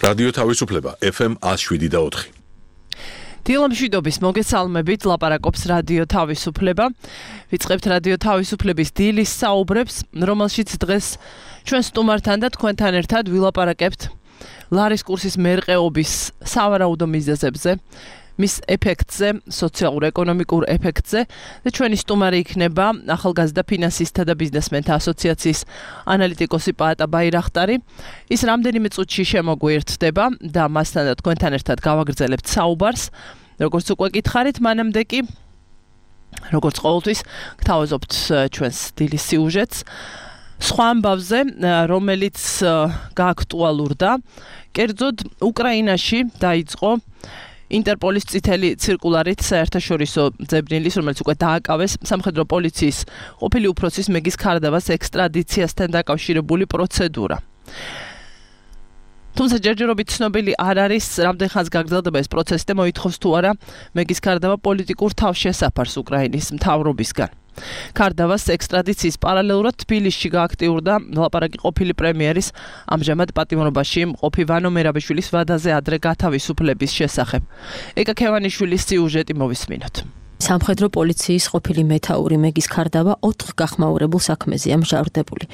რადიო თავისუფლება FM 107.4. დილამშვიდობის მოგესალმებით, ლაპარაკობს რადიო თავისუფლება. ვიწყებთ რადიო თავისუფლების დილის საუბრებს, რომელშიც დღეს ჩვენ სტუმართან და თქვენთან ერთად ვილაპარაკებთ ლარის კურსის მერყეობის სავარაუდო მიზეზებზე, მის ეფექტზე, სოციალურ-ეკონომიკურ ეფექტზე და ჩვენი სტუმარი იქნება ახალგაზრდა ფინანსისტთა და ბიზნესმენთა ასოციაციის ანალიტიკოსი პაატა ბაირახტარი. ის რამდენიმე წუთში შემოგვიერთდება და მასთან და თქვენთან ერთად გავაგრძელებთ საუბარს. როგორც უკვე გითხარით, მანამდე კი, როგორც ყოველთვის, გთავაზობთ ჩვენს დილის სიუჟეტს. სხვა ამბავზე, რომელიც გააქტუალურდა, კერძოდ უკრაინაში დაიწყო ინტერპოლის წითელი ცირკულარით საერთაშორისო ძებნილის, რომელიც უკვე დააკავეს სამხედრო პოლიციის ყოფილი უფროსის მეგის ქარდავას ექსტრადიციასთან დაკავშირებული პროცედურა. თუმცა ჯერჯერობით ცნობილი არ არის, რამდენ ხანს გაგრძელდება ეს პროცესი და მოითხოვს თუ არა მეგის ქარდავა პოლიტიკურ თავშესაფარს უკრაინის მთავრობისგან. ქარდავას ექსტრადიციის პარალელურად თბილისში გააქტიურდა ლაპარაკი ყოფილი პრემიერის ამჟამად პატიმრობაში მყოფი ვანო მერაბიშვილის ვადაზე ადრე გათავისუფლების შესახებ. ეკა ქევანიშვილის სიუჟეტი მოვისმინოთ. სამხედრო პოლიციის ყოფილი მეთაური მეგის ქარდავა 4 გახმაურებულ საქმეზეა მჟავრდებული.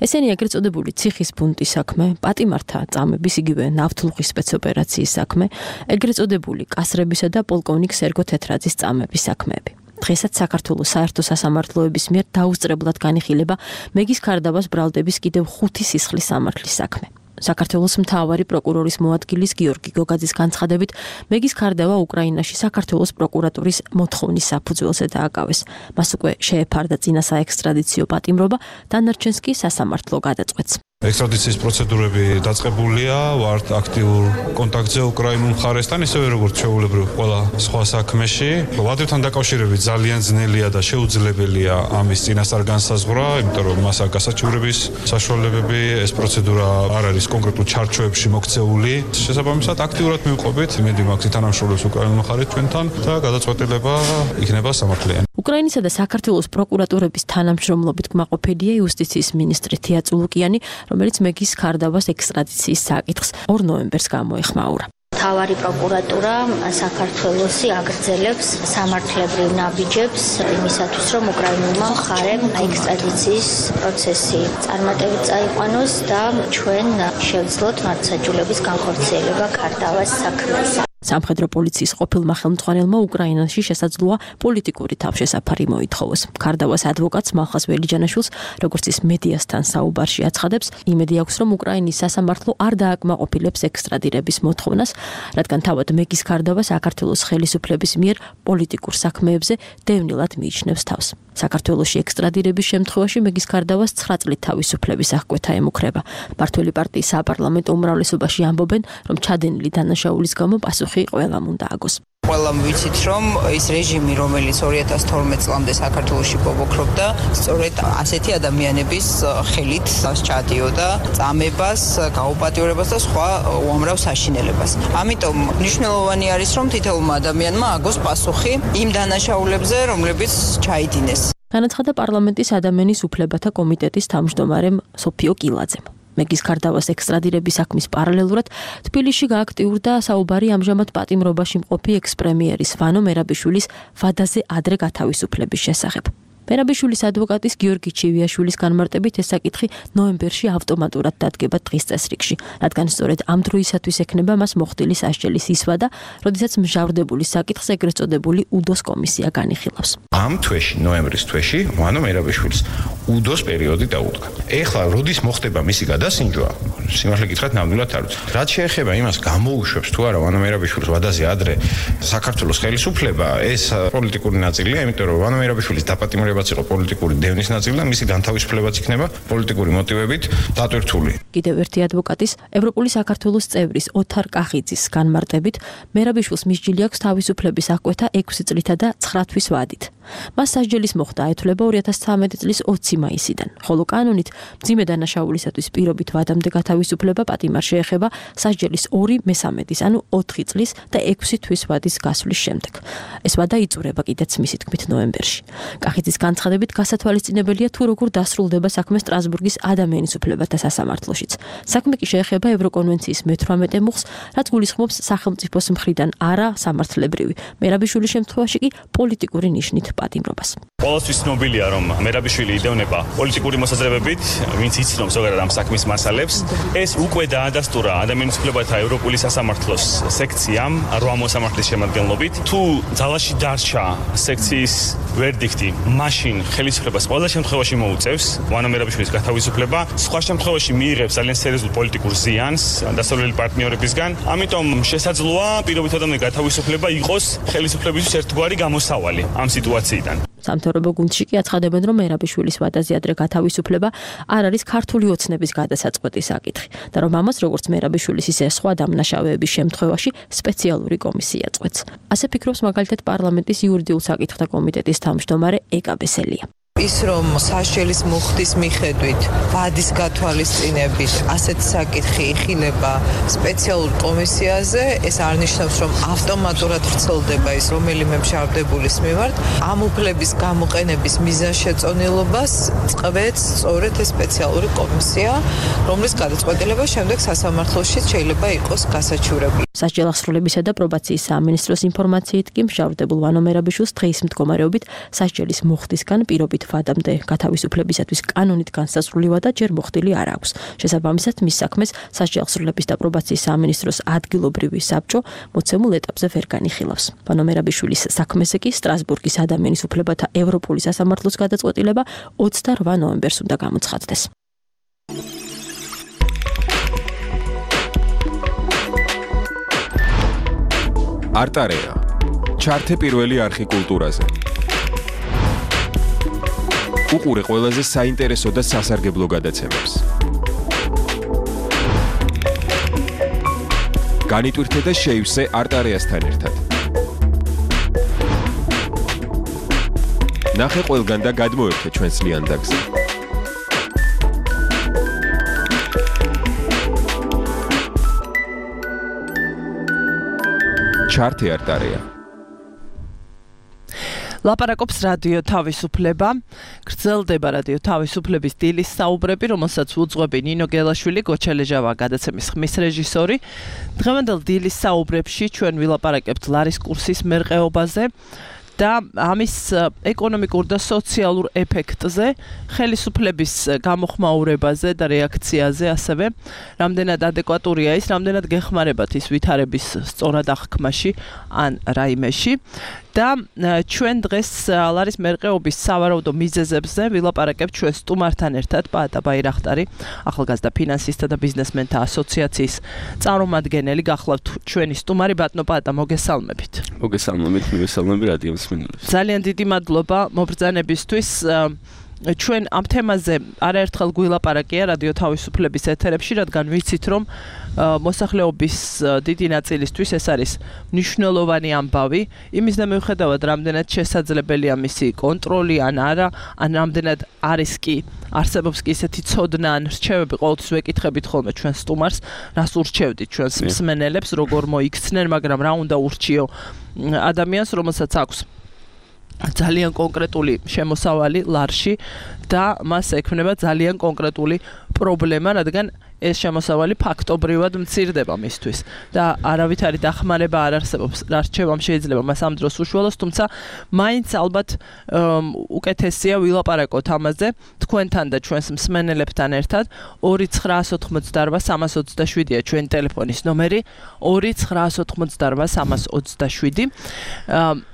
ესენი ეგრეთ წოდებული ციხის ბუნტის საქმე, პატიმართა წამების, იგივე ნავთლუღის სპეცოპერაციის საქმე, ეგრეთ წოდებული კასრებისა და პოლკოვნიკ სერგო თეთრაძის წამების საქმეები. დღესაც საქართველოს საერთო სასამართლოების მიერ დაუსწრებლად განიხილება მეგის ქარდავას ბრალდების კიდევ 5 სისხლის სამართლის საქმე. საქართველოს მთავარი პროკურორის მოადგილის გიორგი გოგაძის განცხადებით, მეგის ქარდავა უკრაინაში საქართველოს პროკურატურის მოთხოვნის საფუძველზე დააკავეს. მას უკვე შეეფარდა წინა საექსტრადიციო პატიმრობა, დანარჩენს კი სასამართლო გადაწყვეტს. ექსტრადიციის პროცედურები დაწყებულია, ვართ აქტიურ კონტაქტზე უკრაინულ მხარესთან, ისევე როგორც ჩვეულებრივ ყველა სხვა საქმეში. ვადებთან დაკავშირებით ძალიან ძნელია და შეუძლებელია ამის წინასწარ განსაზღვრა, იმიტომ რომ მას აქვს გასაჩივრების საშუალებები, ეს პროცედურა არ არის კონკრეტულ ჩარჩოებში მოქცეული. შესაბამისად, აქტიურად მივყვებით, იმედი მაქვს თანამშრომლობს უკრაინულ მხარეს ჩვენთან და გადაწყვეტილება იქნება სამართლიანი. უკრაინისა და საქართველოს პროკურატურების თანამშრომლობით კმაყოფილია იუსტიციის მინისტრი თია წულუკიანი, რომელიც მეგის ქარდავას ექსტრადიციის საკითხს 2 ნოემბერს გამოეხმაურა. მთავარი პროკურატურა საქართველოსი აგრძელებს სამართლებრივ ნაბიჯებს იმისათვის, რომ უკრაინულმა მხარემ ექსტრადიციის პროცესი წარმატებით წაიყვანოს და ჩვენ შევძლოთ მართლმსაჯულების განხორციელება ქარდავას საქმეზე. სამხედრო პოლიციის ყოფილმა ხელმძღვანელმა უკრაინაში შესაძლოა პოლიტიკური თავშესაფარი მოითხოვოს. ქარდავას ადვოკატს მალხას ველიჯანაშვილს, როგორც ის მედიასთან საუბარში აცხადებს, იმედი აქვს, რომ უკრაინის სასამართლო არ დააკმაყოფილებს ექსტრადირების მოთხოვნას, რადგან თავად მეგის ქარდავა საქართველოს ხელისუფლების მიერ პოლიტიკურ საქმეებზე დევნილად მიიჩნევს თავს. საქართველოში ექსტრადირების შემთხვევაში მეგის ქარდავას 9 წლით თავისუფლების აღკვეთა ემუქრება. მმართველი პარტიის საპარლამენტო უმრავლესობაში ამბობენ, რომ ჩადენილი დანაშაულის გამო პასუხი ყველამ უნდა აგოს. ყველამ ვიცით, რომ ის რეჟიმი, რომელიც 2012 წლამდე საქართველოში ბობოქრობდა, სწორედ ასეთი ადამიანების ხელით ჩადიოდა წამებას, გაუპატიურებას და სხვა უამრავ საშინელებას. ამიტომ მნიშვნელოვანი არის, რომ თითოეულმა ადამიანმა აგოს პასუხი იმ დანაშაულებზე, რომლებიც ჩაიდინეს. განაცხადა პარლამენტის ადამიანის უფლებათა კომიტეტის თავმჯდომარემ სოფიო კილაძემ. მეგის ქარდავას ექსტრადირების საქმის პარალელურად თბილისში გააქტიურდა საუბარი ამჟამად პატიმრობაში მყოფი ექს-პრემიერის ვანო მერაბიშვილის ვადაზე ადრე გათავისუფლების შესახებ. მერაბიშვილის ადვოკატის გიორგი ჩივიაშვილის განმარტებით ეს საკითხი ნოემბერში ავტომატურად დადგება დღის წესრიგში, რადგან სწორედ ამ დროისათვის ექნება მას მოხდილი სასჯელის ისვადა, როდესაც მჟავრდებული საკითხს ეგრეთ წოდებული უდოს კომისია განიხილავს. ამ თვეში, ნოემბრის თვეში, ვანო მერაბიშვილის უდოს პერიოდი დაუდგა. ეხლა როდის მოხდება მისი გადასინჯვა, სიმართლე გითხრათ, ნამდვილად არ ვიცი. რაც შეეხება იმას, გამოუშვებს თუ არა ვანო მერაბიშვილის ვადაზე ადრე საქართველოს ხელისუფლება, ეს პოლიტიკური ნაწილია, იმიტომ რომ ვანო მერაბიშვილის დაპატიმრება იყო პოლიტიკური დევნის ნაწილი და მისი განთავისუფლებაც იქნება პოლიტიკური მოტივებით დატვირთული. კიდევ ერთი ადვოკატის, ევროპული საქართველოს წევრის ოთარ კახიძის განმარტებით, მერაბიშვილს მისჯილი აქვს თავისუფლების აღკვეთა 6 წლითა და 9 თვის ვადით. მას სასჯელის მოხდა ეთვლება 2013 წლის 20 მაისიდან. ხოლო კანონით მძიმე დანაშაულისათვის პირობით ვადამდე გათავისუფლება პატიმარ შეეხება სასჯელის 2/3, ანუ 4 წლის და 6 თვის ვადის გასვლის შემდეგ. ეს ვადა იწურება კიდეც მისი თქმით ნოემბერში. კახეთის განცხადებით გასათვალისწინებელია თუ როგორ დასრულდება საქმე სტრასბურგის ადამიანის უფლებათა სასამართლოშიც. საქმე კი შეეხება ევროკონვენციის მე-18 მუხლს, რაც გულისხმობს სახელმწიფოს მხრიდან არა სამართლებრივი, მერაბიშვილის შემთხვევაში კი პოლიტიკური ნიშნით პატიმრობას. Ყველასთვის ცნობილია, რომ მერაბიშვილი იდევნება პოლიტიკური მოსაზრებებით, ვინც იცნობს ზოგადად ამ საქმის მასალებს. ეს უკვე დაადასტურა ადამიანის უფლებათა ევროპული სასამართლოს სექციამ 8 მოსამართლის შემადგენლობით. თუ ძალაში დარჩა სექციის ვერდიქტი, მაშინ ხელისუფლებას ყველა შემთხვევაში მოუწევს ვანო მერაბიშვილის გათავისუფლება, სხვა შემთხვევაში მიიღებს ძალიან სერიოზულ პოლიტიკურ ზიანს დასავლელი პარტნიორებისგან. ამიტომ შესაძლოა პირობით ადამიანის გათავისუფლება იყოს ხელისუფლებისთვის ერთგვარი გამოსავალი ამ სიტუაციიდან. სამთავრობო გუნდში კი აცხადებენ, რომ მერაბიშვილის ვადაზე ადრე გათავისუფლება არ არის ქართული ოცნების გადასაწყვეტი საკითხი და რომ ამას როგორც მერაბიშვილის ისე სხვა დამნაშავეების შემთხვევაში სპეციალური კომისია წყვეტს. ასე ფიქრობს მაგალითად პარლამენტის იურიდიულ საკითხთა კომიტეტის თავმჯდომარე ეკა ბესელია. ის რომ სასჯელის მუხტის მიხედვით ვადის გათვალისწინებით ასეთ საკითხი იხილება სპეციალურ კომისიაზე, ეს არ ნიშნავს, რომ ავტომატურად ვრცელდება ის რომელიმე მშავდებულის მიმართ. ამ უფლების გამოყენების მიზანშეწონილობას წყვეტს სწორედ ეს სპეციალური კომისია, რომლის გადაწყვეტილება შემდეგ სასამართლოში შეიძლება იყოს გასაჩივრებული. სასჯელ აღსრულებისა და პრობაციის სამინისტროს ინფორმაციით კი მშავდებულ ვანო მერაბიშვილს დღის მდგომარეობით სასჯელის მუხტისგან პირობით ვადამდე გათავისუფლებისათვის კანონით განსაზღვრული ვადა ჯერ მოხდილი არ აქვს. შესაბამისად, მის საქმეს სასჯელ აღსრულების და პრობაციის სამინისტროს ადგილობრივი საბჭო მოცემულ ეტაპზე ვერ განიხილავს. ვანო მერაბიშვილის საქმეზე კი სტრასბურგის ადამიანის უფლებათა ევროპული სასამართლოს გადაწყვეტილება 28 ნოემბერს უნდა გამოცხადდეს. არტარეა. ჩართე პირველი არხი კულტურაზე. უყურე ყველაზე საინტერესო და სასარგებლო გადაცემებს. განიტვირთე და შეივსე არტარეასთან ერთად. ნახე ყველგან და გადმოერთე ჩვენს ლიანდაგზე. ჩართე არტარეა. ლაპარაკობს რადიო თავისუფლება. გრძელდება რადიო თავისუფლების დილის საუბრები, რომელსაც უძღვები ნინო გელაშვილი, გოჩა ლეჟავა, გადაცემის ხმის რეჟისორი. დღევანდელ დილის საუბრებში ჩვენ ვილაპარაკებთ ლარის კურსის მერყეობაზე და ამის ეკონომიკურ და სოციალურ ეფექტზე, ხელისუფლების გამოხმაურებაზე და რეაქციაზე, ასევე რამდენად ადეკვატურია ის, რამდენად გეხმარებათ ის ვითარების სწორად აღქმაში ან რაიმეში. და ჩვენ დღეს ლარის მერყეობის სავარაუდო მიზეზებზე ვილაპარაკებთ ჩვენ სტუმართან ერთად, პაატა ბაირახტარი, ახალგაზრდა ფინანსისტთა და ბიზნესმენთა ასოციაციის წარმომადგენელი. გახლავთ ჩვენი სტუმარი, ბატონო პაატა, მოგესალმებით. მოგესალმებით, მივესალმები რადიო მსმენელებს. ძალიან დიდი მადლობა მობრძანებისთვის. ჩვენ ამ თემაზე არაერთხელ გვილაპარაკია რადიო თავისუფლების ეთერებში, რადგან ვიცით, რომ მოსახლეობის დიდი ნაწილისთვის ეს არის მნიშვნელოვანი ამბავი, იმის და მიუხედავად, რამდენად შესაძლებელია მისი კონტროლი ან არა, ან რამდენად არის კი არსებობს კი ისეთი ცოდნა ან რჩევები, ყოველთვის ვეკითხებით ხოლმე ჩვენ სტუმარს, რას ურჩევდით ჩვენს მსმენელებს, როგორ მოიქცნენ, მაგრამ რა უნდა ურჩიო ადამიანს, რომელსაც აქვს ძალიან კონკრეტული შემოსავალი ლარში და მას ექმნება ძალიან კონკრეტული პრობლემა, რადგან ეს შემოსავალი ფაქტობრივად მცირდება მისთვის და არავითარი დახმარება არ არსებობს. რა რჩევამ შეიძლება მას ამ დროს უშუალოს, თუმცა მაინც ალბათ უკეთესია ვილაპარაკოთ ამაზე თქვენთან და ჩვენს მსმენელებთან ერთად. 2988327-327-ია ჩვენი ტელეფონის ნომერი, 2988327.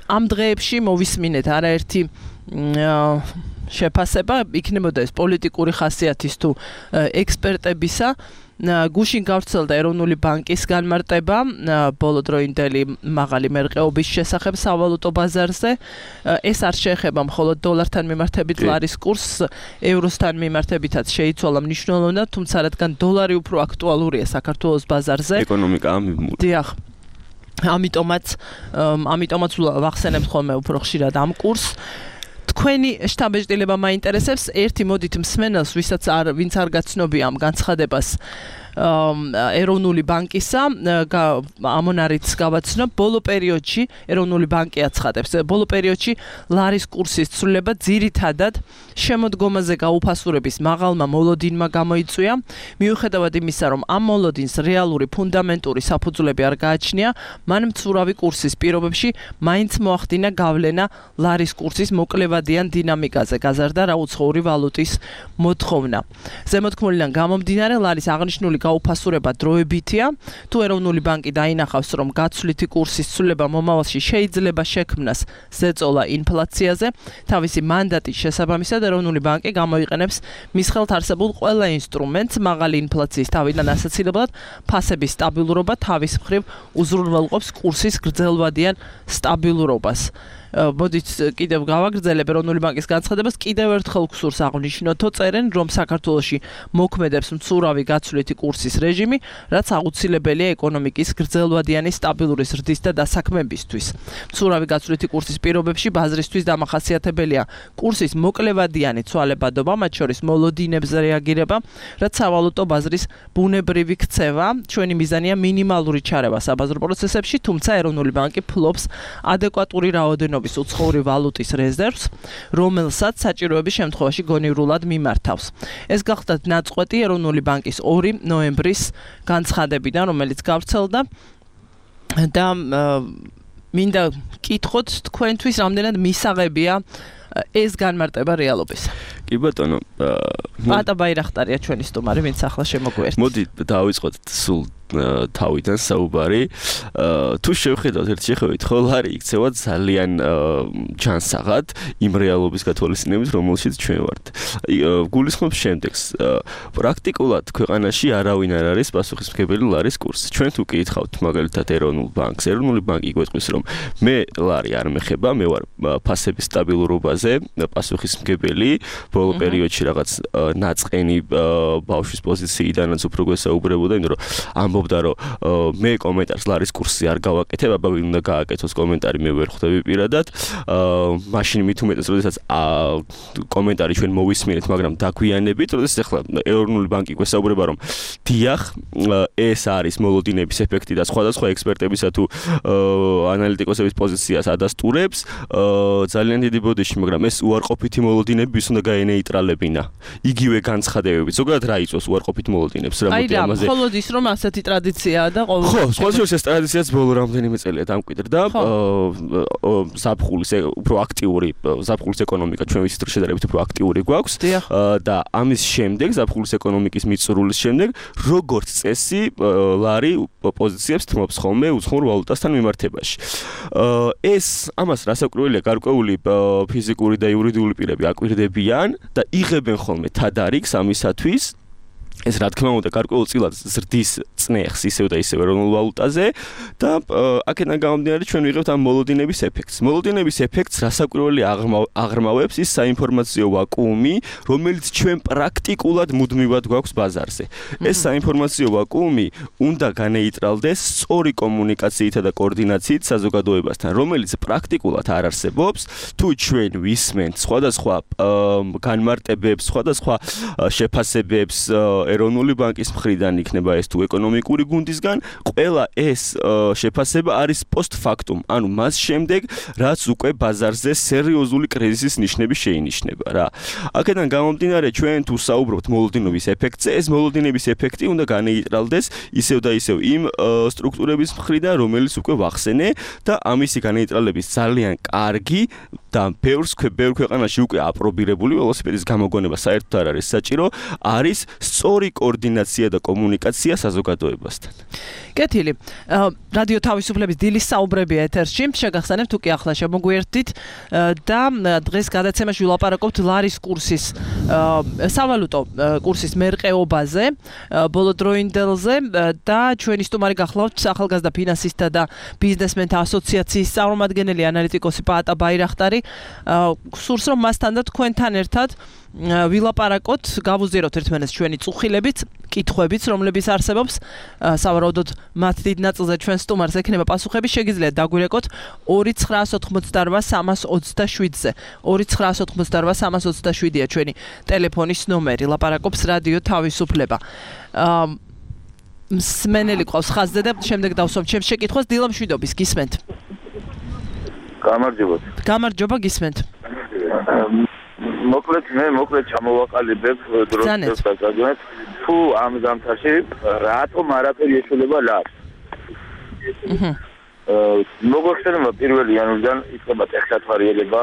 ამ დღეებში მოვისმინეთ არაერთი შეფასება, იქნებოდა ეს პოლიტიკური ხასიათის თუ ექსპერტებისა. გუშინ გავრცელდა ეროვნული ბანკის განმარტება ბოლოდროინდელი მაღალი მერყეობის შესახებ სავალუტო ბაზარზე. ეს არ შეეხება მხოლოდ დოლართან მიმართებით ლარის კურსს, ევროსთან მიმართებითაც შეიცვალა მნიშვნელოვნად, თუმცა რადგან დოლარი უფრო აქტუალურია საქართველოს ბაზარზე. ეკონომიკა დიახ. ამიტომაც ვახსენებთ ხოლმე უფრო ხშირად ამ კურსს. თქვენი შტაბ-ეჭდილება მაინტერესებს. ერთი მოდით მსმენელს, ვინც არ გაცნობია ამ განცხადებას ეროვნული ბანკისა, ამონარიც გავაცნობ, ბოლო პერიოდში ეროვნული ბანკი აცხადებს, ბოლო პერიოდში ლარის კურსის ცვლილება ძირითადად შემოდგომაზე გაუფასურების მაღალმა მოლოდინმა გამოიწვია, მიუხედავად იმისა, რომ ამ მოლოდინს რეალური ფუნდამენტური საფუძვლები არ გააჩნია, მან მცურავი კურსის პირობებში მაინც მოახდინა გავლენა ლარის კურსის მოკლევადიან დინამიკაზე, გაზარდა რაუცხოვრი ვალუტის მოთხოვნა. ზემოთქმულიდან გამომდინარე, ლარის აღნიშნული გაუფასურება დროებითია. თუ ეროვნული ბანკი დაინახავს, რომ გაცვლითი კურსის ცვლილება მომავალში შეიძლება შექმნას ზეწოლა ინფლაციაზე, თავისი მანდატის შესაბამისად ეროვნული ბანკი გამოიყენებს მის ხელთ არსებულ ყველა ინსტრუმენტს მაღალი ინფლაციის თავიდან ასაცილებლად ფასების სტაბილურობა თავის მხრივ უზრუნველყოფს კურსის გრძელვადიან სტაბილურობას. მოდით კიდევ გავაგრძელებ ეროვნული ბანკის განცხადებას, კიდევ ერთხელ გსურს აღნიშნოთო წერენ, რომ საქართველოში მოქმედებს მცურავი გაცვლითი კურსის რეჟიმი, რაც აუცილებელია ეკონომიკის გრძელვადიანი სტაბილური ზრდის და დასაქმებისთვის. მცურავი გაცვლითი კურსის პირობებში ბაზრისთვის დამახასიათებელია კურსის მოკლევადიანი ცვალებადობა, მათ შორის მოლოდინებზე რეაგირება, რაც სავალუტო ბაზრის ბუნებრივი ქცევა. ჩვენი მიზანია მინიმალური ჩარევა საბაზრო პროცესებში, თუმცა ეროვნული ბანკი ფლობს ადეკვატური რაოდენობის უცხოური ვალუტის რეზერვს, რომელსაც საჭიროების შემთხვევაში გონივრულად მიმართავს. ეს გახლდათ ნაწყვეტი ეროვნული ბანკის 2 ნოემბრის განცხადებიდან, რომელიც გავრცელდა და მინდა კითხოთ თქვენთვის რამდენად მისაღებია ეს განმარტება რეალობისა. კი ბატონო, პატა ბაირახტარია ჩვენი სტუმარი, ვინც ახლა შემოგვიერთდა. მოდი დავიწყოთ სულ თავიდან საუბარი. თუ შევხედავთ ერთ შეხედვით, ხო ლარი იქცევა ძალიან ჯანსაღად იმ რეალობის გათვალისწინებით, რომელშიც ჩვენ ვართ. გულისხმობს შემდეგს. პრაქტიკულად ქვეყანაში არავინ არ არის პასუხისმგებელი ლარის კურსს. ჩვენ თუ კითხავთ მაგალითად ეროვნულ ბანკს, ეროვნული ბანკი გვეტყვის, რომ მე ლარი არ მეხება, მე ვარ ფასების სტაბილურობაზე პასუხისმგებელი. ბოლო პერიოდში რაღაც ნაწყენი ბავშვის პოზიციიდანაც უფრო გვესაუბრებოდა, იმიტომ რომ ამბობდა, რომ მე კომენტარს ლარის კურსზე არ გავაკეთებ, აბა ვინ უნდა გააკეთოს კომენტარი, მე ვერ ხვდები პირადად. მაშინ მით უმეტეს, როდესაც კომენტარი ჩვენ მოვისმინეთ, მაგრამ დაგვიანებით, როდესაც ახლა ეროვნული ბანკი გვესაუბრება, რომ დიახ, ეს არის მოლოდინების ეფექტი და სხვადასხვა ექსპერტებისა თუ ანალიტიკოსების პოზიციას ადასტურებს, ძალიან დიდი ბოდიში, მაგრამ ეს უარყოფითი მოლოდინები ვის უნდა გაენეიტრალებინა. იგივე განცხადებებით. ზოგადად რა იწვევს უარყოფით მოლოდინებს, რა მოდი ამაზე. აი, მხოლოდ ის რომ ასეთი ტრადიციაა და ყოველ ხო, სხვადასხვა ეს ტრადიციაც ბოლო რამდენიმე წელია დამკვიდრდა. ზაფხულის უფრო აქტიური, ზაფხულის ეკონომიკა ჩვენ ვიცით, რომ შედარებით უფრო აქტიური გვაქვს და ამის შემდეგ, ზაფხულის ეკონომიკის მიწურულის შემდეგ, როგორც წესი, ლარი პოზიციებს თმობს ხოლმე უცხოურ ვალუტასთან მიმართებაში. ეს ამას რასაკვირველია, გარკვეული ფიზიკური და იურიდიული პირები აკვირდებიან და იღებენ ხოლმე თადარიგს ამისათვის. ეს რა თქმა უნდა გარკვეულწილად ზრდის წნეხს ისევ და ისევ ეროვნულ ვალუტაზე და აქედან გამომდინარე ჩვენ ვიღებთ ამ მოლოდინების ეფექტს. მოლოდინების ეფექტს რასაკვირველი აღრმავებს ის საინფორმაციო ვაკუუმი, რომელიც ჩვენ პრაქტიკულად მუდმივად გვაქვს ბაზარზე. ეს საინფორმაციო ვაკუუმი უნდა განეიტრალდეს სწორი კომუნიკაციითა და კოორდინაციით საზოგადოებასთან, რომელიც პრაქტიკულად არ არსებობს, თუ ჩვენ ვისმენთ სხვადასხვა განმარტებებს, სხვადასხვა შეფასებებს ეროვნული ბანკის მხრიდან იქნება ეს თუ ეკონომიკური გუნდისგან, ყველა ეს შეფასება არის პოსტფაქტუმ, ანუ მას შემდეგ, რაც უკვე ბაზარზე სერიოზული კრიზისის ნიშნები შეინიშნება რა. აქედან გამომდინარე, ჩვენ თუ საუბრობთ მოლოდინობის ეფექტზე, ეს მოლოდინების ეფექტი უნდა განეიტრალდეს ისევ და ისევ იმ სტრუქტურების მხრიდან, რომელიც უკვე ვახსენე და ამისი განეიტრალების ძალიან კარგი და ბევრ ქვეყანაში უკვე აპრობირებული ველოსიპედის გამოგონება საერთოდ არ არის საჭირო, არის სწორი კოორდინაცია და კომუნიკაცია საზოგადოებასთან. კეთილი. რადიო თავისუფლების დილის საუბრებია ეთერში. შეგახსენებთ თუ კი ახლა შემოგვიერთდით და დღეს გადაცემაში ვილაპარაკობთ ლარის კურსის სავალუტო კურსის მერყეობაზე, ბოლოდროინდელზე და ჩვენი სტუმარი გახლავთ ახალგაზრდა ფინანსისტთა და ბიზნესმენთა ასოციაციის წარმომადგენელი ანალიტიკოსი პაატა ბაირახტარი. მკვლევარი სურს რომ მასთან და თქვენთან ერთად ვილაპარაკოთ, გავუზიაროთ ერთმანეთს ჩვენი წუხილებით, კითხვებით, რომლებიც არსებობს. სავარაუდოდ მათ დიდ ნაწილზე ჩვენ სტუმარს ექნება პასუხები, შეგიძლიათ დაგვირეკოთ 2988327-ზე. 2988327-ია ჩვენი ტელეფონის ნომერი. ლაპარაკობს რადიო თავისუფლება. მსმენელი ყავს ხაზზე და შემდეგ დავსვამ ჩემს შეკითხვას. დილა მშვიდობის, გისმენთ? გამარჯობა, გისმენთ. მოკლედ ჩამოვაყალიბებ დროს დასაგებად თუ ამ ზამთარში რატომ არაფერი ეშველება ლარს. მოგახსენება 1 იანვრიდან იწყება ტექნათვარიელება.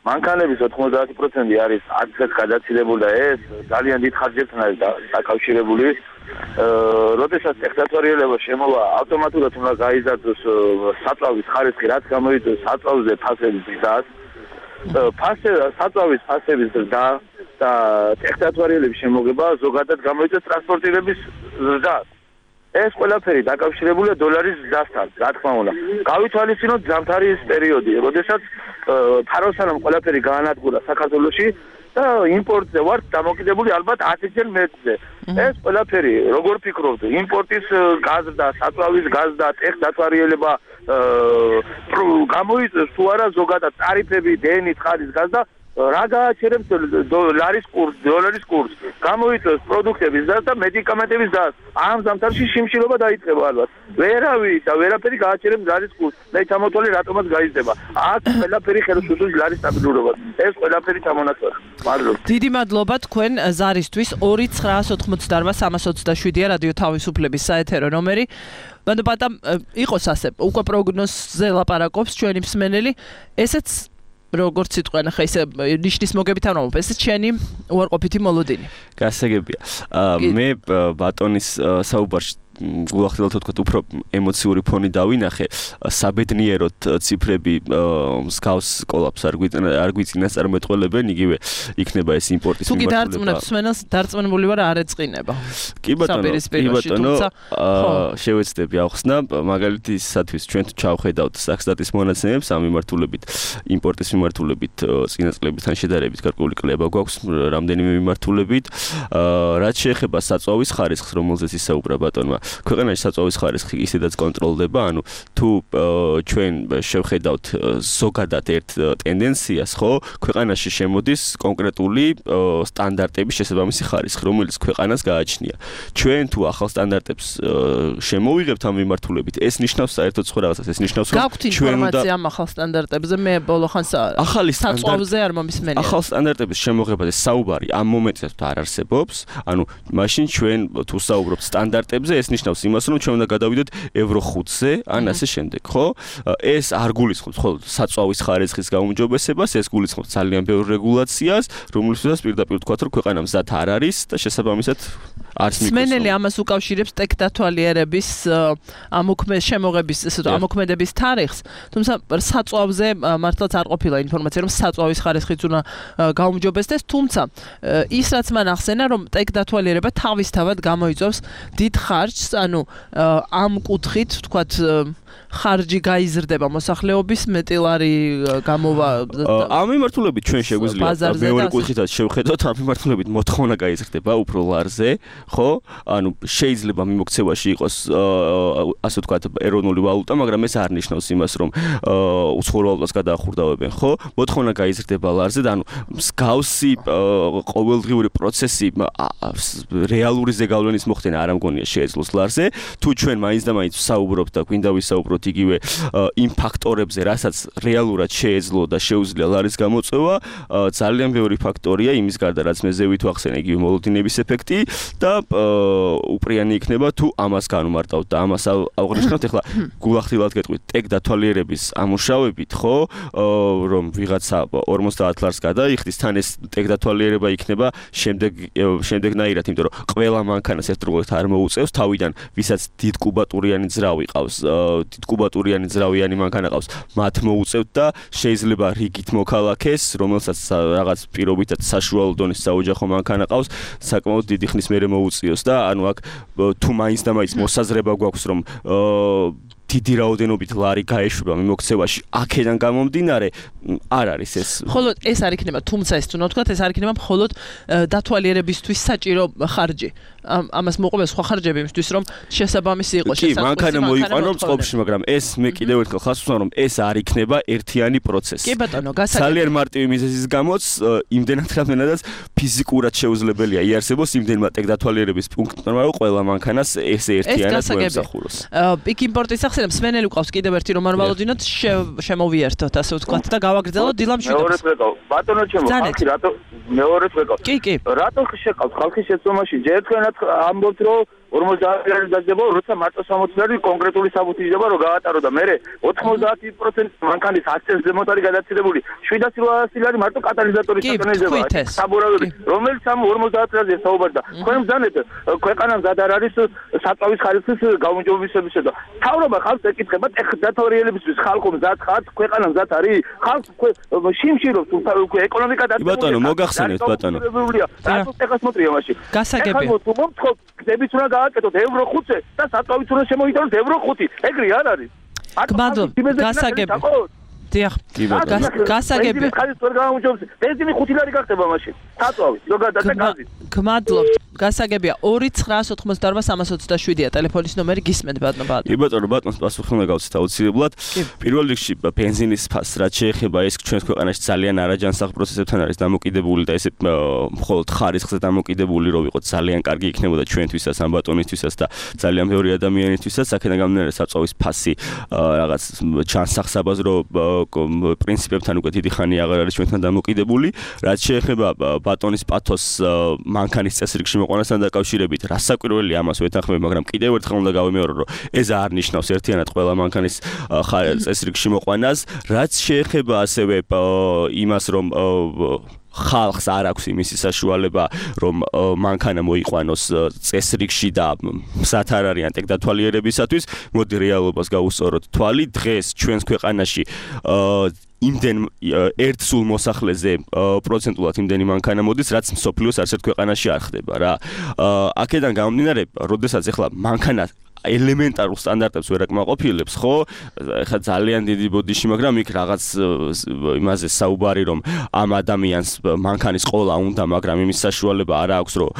მანქანების 90% არის აქცეთ გადაცილებული და ეს ძალიან დიდ ხარჯებთან არის დაკავშირებული. როდესაც ტექნათვარიელება შემოვა, ავტომატურად უნდა გაიზარდოს საწვავის ხარისხი, რაც გამოიწვევს საწვავზე ფასების ზრდას. საწვავის ფასების ზრდა და ტექნათვარიელების შემოგება ზოგადად გამოიწვევს ტრანსპორტირების ზრდას. ეს ყველაფერი დაკავშირებულია დოლარის ზრდასთან, რა თქმა უნდა. გავითვალისწინოთ ზამთრის პერიოდი, როდესაც ფაროსანამ ყველაფერი გაანადგურა საქართველოში და იმპორტზე ვართ დამოკიდებული ალბათ 10-ჯერ მეტზე. ეს ყველაფერი, როგორ ფიქრობთ, იმპორტის გაზრდა, საწვავის გაზრდა, ტექნათვარიელება გამოიწვევს თუ არა ზოგადად ტარიფები, დენი, ცხარის გაზრდა, რა გააჩერებს ლარის კურსს, დოლარის კურსს, გამოიწვევს პროდუქტების ზრდას და მედიკამენტების ზრდას. ამ ზამთარში შიმშილობა დაიწყება ალბათ. ვერავი და ვერაფერი გააჩერებს ლარის კურსს. მე ჩამოთვალე რატომაც გაიზრდება. აქ ყველაფერი ხელს უშლის ლარის სტაბილურობას. ეს ყველაფერი ჩამონაცვალა. მადლობა. დიდი მადლობა თქვენ ზარისთვის. 2988327-ია რადიო თავისუფლების საეთერო ნომერი. ბატა იყოს ასე, უკვე პროგნოზზე ლაპარაკობს ჩვენი მსმენელი. ესეც როგორც სიტყვენ ხა ისე ნიშნის მოგებით არ მომობ, ესეც ჩვენი უარყოფითი მოლოდინი. გასაგებია. მე ბატონის საუბარში გულახდილად თქვა უფრო ემოციური ფონი დავინახე. საბედნიეროდ ციფრები მსგავს კოლაფს არ გვიწინას წარმეთყოლებენ, იგივე იქნება ეს იმპორტის მიმართულება. თუ კი დარწმუნებს მსმენელს, დარწმუნებული ვარ არ ეწყინება. კი ბატონო, შევეცდები ახსნა, მაგალითისათვის ჩვენ თუ ჩავხედავთ საქსტატის მონაცემებს ამ მიმართულებით, იმპორტის მიმართულებით წინა წლებთან შედარებით გარკვეული კლება გვაქვს რამდენიმე მიმართულებით. რაც შეეხება საწვავის ხარისხს, რომელზეც ისაუბრა ბატონმა, ქვეყანაში საწვავის ხარისხი ისედაც კონტროლდება, ანუ თუ ჩვენ შევხედავთ ზოგადად ერთ ტენდენციას, ხო, ქვეყანაში შემოდის კონკრეტული სტანდარტების შესაბამისი ხარისხი, რომელიც ქვეყანას გააჩნია. ჩვენ თუ ახალ სტანდარტებს შემოვიღებთ ამ მიმართულებით, ეს ნიშნავს საერთოდ სხვა რაღაცას, ეს ნიშნავს რომ ჩვენ უნდა ამ ახალ სტანდარტებზე მე ბოლოხანს საწვავზე არ მომისმენია. ახალ სტანდარტების შემოღებაზე საუბარი ამ მომენტში არ არსებობს, ანუ მაშინ ჩვენ თუ საუბრობთ სტანდარტებზე, ეს ნიშნავს იმას, რომ ჩვენ უნდა გადავიდეთ ევრო 5-ზე, ან ასე შემდეგ, ხო? ეს არ გულისხმობს მხოლოდ საწვავის ხარისხის გაუმჯობესებას, ეს გულისხმობს ძალიან ბევრ რეგულაციას, რომლისთვისაც პირდაპირ ვთქვათ, რომ ქვეყანა მზად არ არის და შესაბამისად არც მიკროს. მსმენელი ამას უკავშირებს ტექნათვალიერების შემოღების, ესე ვთქვათ, ამოქმედების თარიღს, თუმცა საწვავზე მართლაც არ ყოფილა ინფორმაცია, რომ საწვავის ხარისხიც უნდა გაუმჯობესდეს, თუმცა ის რაც მან ახსენა, რომ ტექნათვალიერება თავისთავად გამოიწვევს დიდ ხარჯს, ანუ ამ კუთხით, ვთქვათ, ხარჯი გაიზრდება მოსახლეობის მეტილარი გამოვა. ამ მიმართულებით ჩვენ შეგვიძლია მეორე კუთხითაც შევხედოთ, ამ მიმართულებით მოთხოვნა გაიზრდება უფრო ლარზე, ხო? ანუ შეიძლება მიმოქცევაში იყოს ასე ვთქვათ ეროვნული ვალუტა, მაგრამ ეს არ ნიშნავს იმას, რომ უცხოურ ვალუტას გადაახურდავებენ, ხო? მოთხოვნა გაიზრდება ლარზე და ანუ მსგავსი ყოველდღიური პროცესი რეალური ზეგავლენის მოხდენა არ ამგონია შეეძლოს ლარზე. თუ ჩვენ მაინც და მაინც ვსაუბრობთ და გვინდა ვისაუბროთ იგივე იმ ფაქტორებზე, რასაც რეალურად შეეძლო და შეუძლია ლარის გამოწვევა, ძალიან ბევრი ფაქტორია იმის გარდა, რაც მე ზევით ვახსენე, იგივე მოლოდინების ეფექტი და უპრიანი იქნება თუ ამას განვმარტავთ და ამას ავღნიშნავთ. ეხლა გულახდილად გეტყვით, ტექნათვალიერების ამუშავებით, ხო, რომ ვიღაცა 50 ლარს გადაიხდის, თან ეს ტექნათვალიერება იქნება შემდეგნაირად, იმიტომ რომ ყველა მანქანას ერთდროულად არ მოუწევს, თავიდან ვისაც დიდ კუბატურიანი ძრავი ყავს, დიდ კუბატურიანი ძრავიანი მანქანა ყავს, მათ მოუწევთ და შეიძლება რიგით მოქალაქეს, რომელსაც რაღაც პირობითად საშუალო დონის საოჯახო მანქანა ყავს, საკმაოდ დიდი ხნის მერე მოუწიოს და ანუ აქ თუ მაინც და მაინც მოსაზრება გვაქვს, რომ დიდი რაოდენობით ლარი გაეშვება მიმოქცევაში, აქედან გამომდინარე არ არის ეს. მხოლოდ ეს არ იქნება, თუმცა ეს თუნდაც ვთქვათ, ეს არ იქნება მხოლოდ დათვალიერებისთვის საჭირო ხარჯი. ამას მოყვება სხვა ხარჯები იმისთვის, რომ შესაბამისი იყოს შესაძლებელი. კი, მანქანა მოიყვანო წყობაში, მაგრამ ეს მე კიდევ ერთხელ ხას ვსვამ, რომ ეს არ იქნება ერთიანი პროცესი. კი ბატონო, გასაგებია. ძალიან მარტივი მიზეზის გამოც იმდენად რამდენადაც ფიზიკურად შეუძლებელია იარსებოს იმდენმა ტექდათვალიერების პუნქტმა, რომ ყველა მანქანას ესე ერთიანად მოემსახუროს. პიკ იმპორტის სახსენებ მსმენელი ყავს კიდევ ერთი რომ არ ვალოდინოთ შემოვიერთოთ ასე ვთქვათ და გავაგრძელოთ დილამ შვიდობას. ბატონო ჩემო, ხალხი რატო მეორედ ვეკავ? კი. რატო შეყავთ ხალხის შეცდომაში? ჯერ თქვენაც ამბობთ რომ 50% დაძება, როცა მარტო 60% კონკრეტული საბუთი იდება რომ გაატარო და მე 90% მანქანის აქცენტ ზემოთ არის გადაცილებული 700 ლარი მარტო კატალიზატორის სატანიზება. საბურავი, რომელიც ამ 50%-ზე საუბარს და თქვენ ბრძანეთ ქვეყანა მზად არ არის საწავის ხარისხის გაუმჯობესებისა და თავრობა ხალხს ეკითხება ტექდათვალიერებისთვის ხალხო მზად ხართ, ქვეყანა მზად არის, ხალხს შიმშილობს ეკონომიკა და ბატონო მოგახსენეთ ბატონო. რატო ტექას მოტრია მაშინ? გასაგებია. ეხლა მომთხოვ გზებიც უნდა გააკეთოთ евро 5-ზე და საწავით უნდა შემოიტანოთ евро 5. ეგრე არ არის. გმადლობ, გასაგებია. დიახ. გასაგებია. ბენზინი 5 ლარი გახდება მაშინ. საწავით, ზოგადად და გაზით. გმადლობ. გასაგებია 2988327-ია ტელეფონის ნომერი გისმენთ ბატონო. კი ბატონო, ბატონს პასუხი უნდა გავცეთ აუცილებლად. პირველ რიგში ბენზინის ფასს რაც შეეხება ეს ჩვენს ქვეყანაში ძალიან არაჯანსაღ პროცესებთან არის დამოკიდებული და ესე მხოლოდ ხარისხზე დამოკიდებული რომ ვიყოთ ძალიან კარგი იქნებოდა ჩვენთვისაც ამ ბატონისთვისაც და ძალიან ბევრი ადამიანისთვისაც აქედან გამომდინარე საწავის ფასი რაღაც ჯანსაღ საბაზრო პრინციპებთან უკვე დიდი ხანი აღარ არის ჩვენთან დამოკიდებული. რაც შეეხება ბატონის პათოს მანქანის წესრიგში მოყვანასთან დაკავშირებით, რასაკვირველია ამას ვეთანხმები, მაგრამ კიდევ ერთხელ უნდა გავიმეორო, რომ ეს არ ნიშნავს ერთიანად ყველა მანქანის წესრიგში მოყვანას. რაც შეეხება ასევე იმას, რომ ხალხს არ აქვს იმისი საშუალება, რომ მანქანა მოიყვანოს წესრიგში და მზად არ არიან ტექდათვალიერებისათვის, მოდი რეალობას გავუსწოროთ თვალი. დღეს ჩვენს ქვეყანაში იმდენ ერთ სულ მოსახლეზე პროცენტულად იმდენი მანქანა მოდის, რაც მსოფლიოს არც ერთ ქვეყანაში არ ხდება რა. აქედან გამომდინარე, როდესაც ახლა მანქანა ელემენტარულ სტანდარტებს ვერ აკმაყოფილებს, ხო? ეხლა ძალიან დიდი ბოდიში, მაგრამ იქ რაღაც იმაზე საუბარი, რომ ამ ადამიანს მანქანის ყოლა უნდა, მაგრამ იმის საშუალება არ აქვს, რომ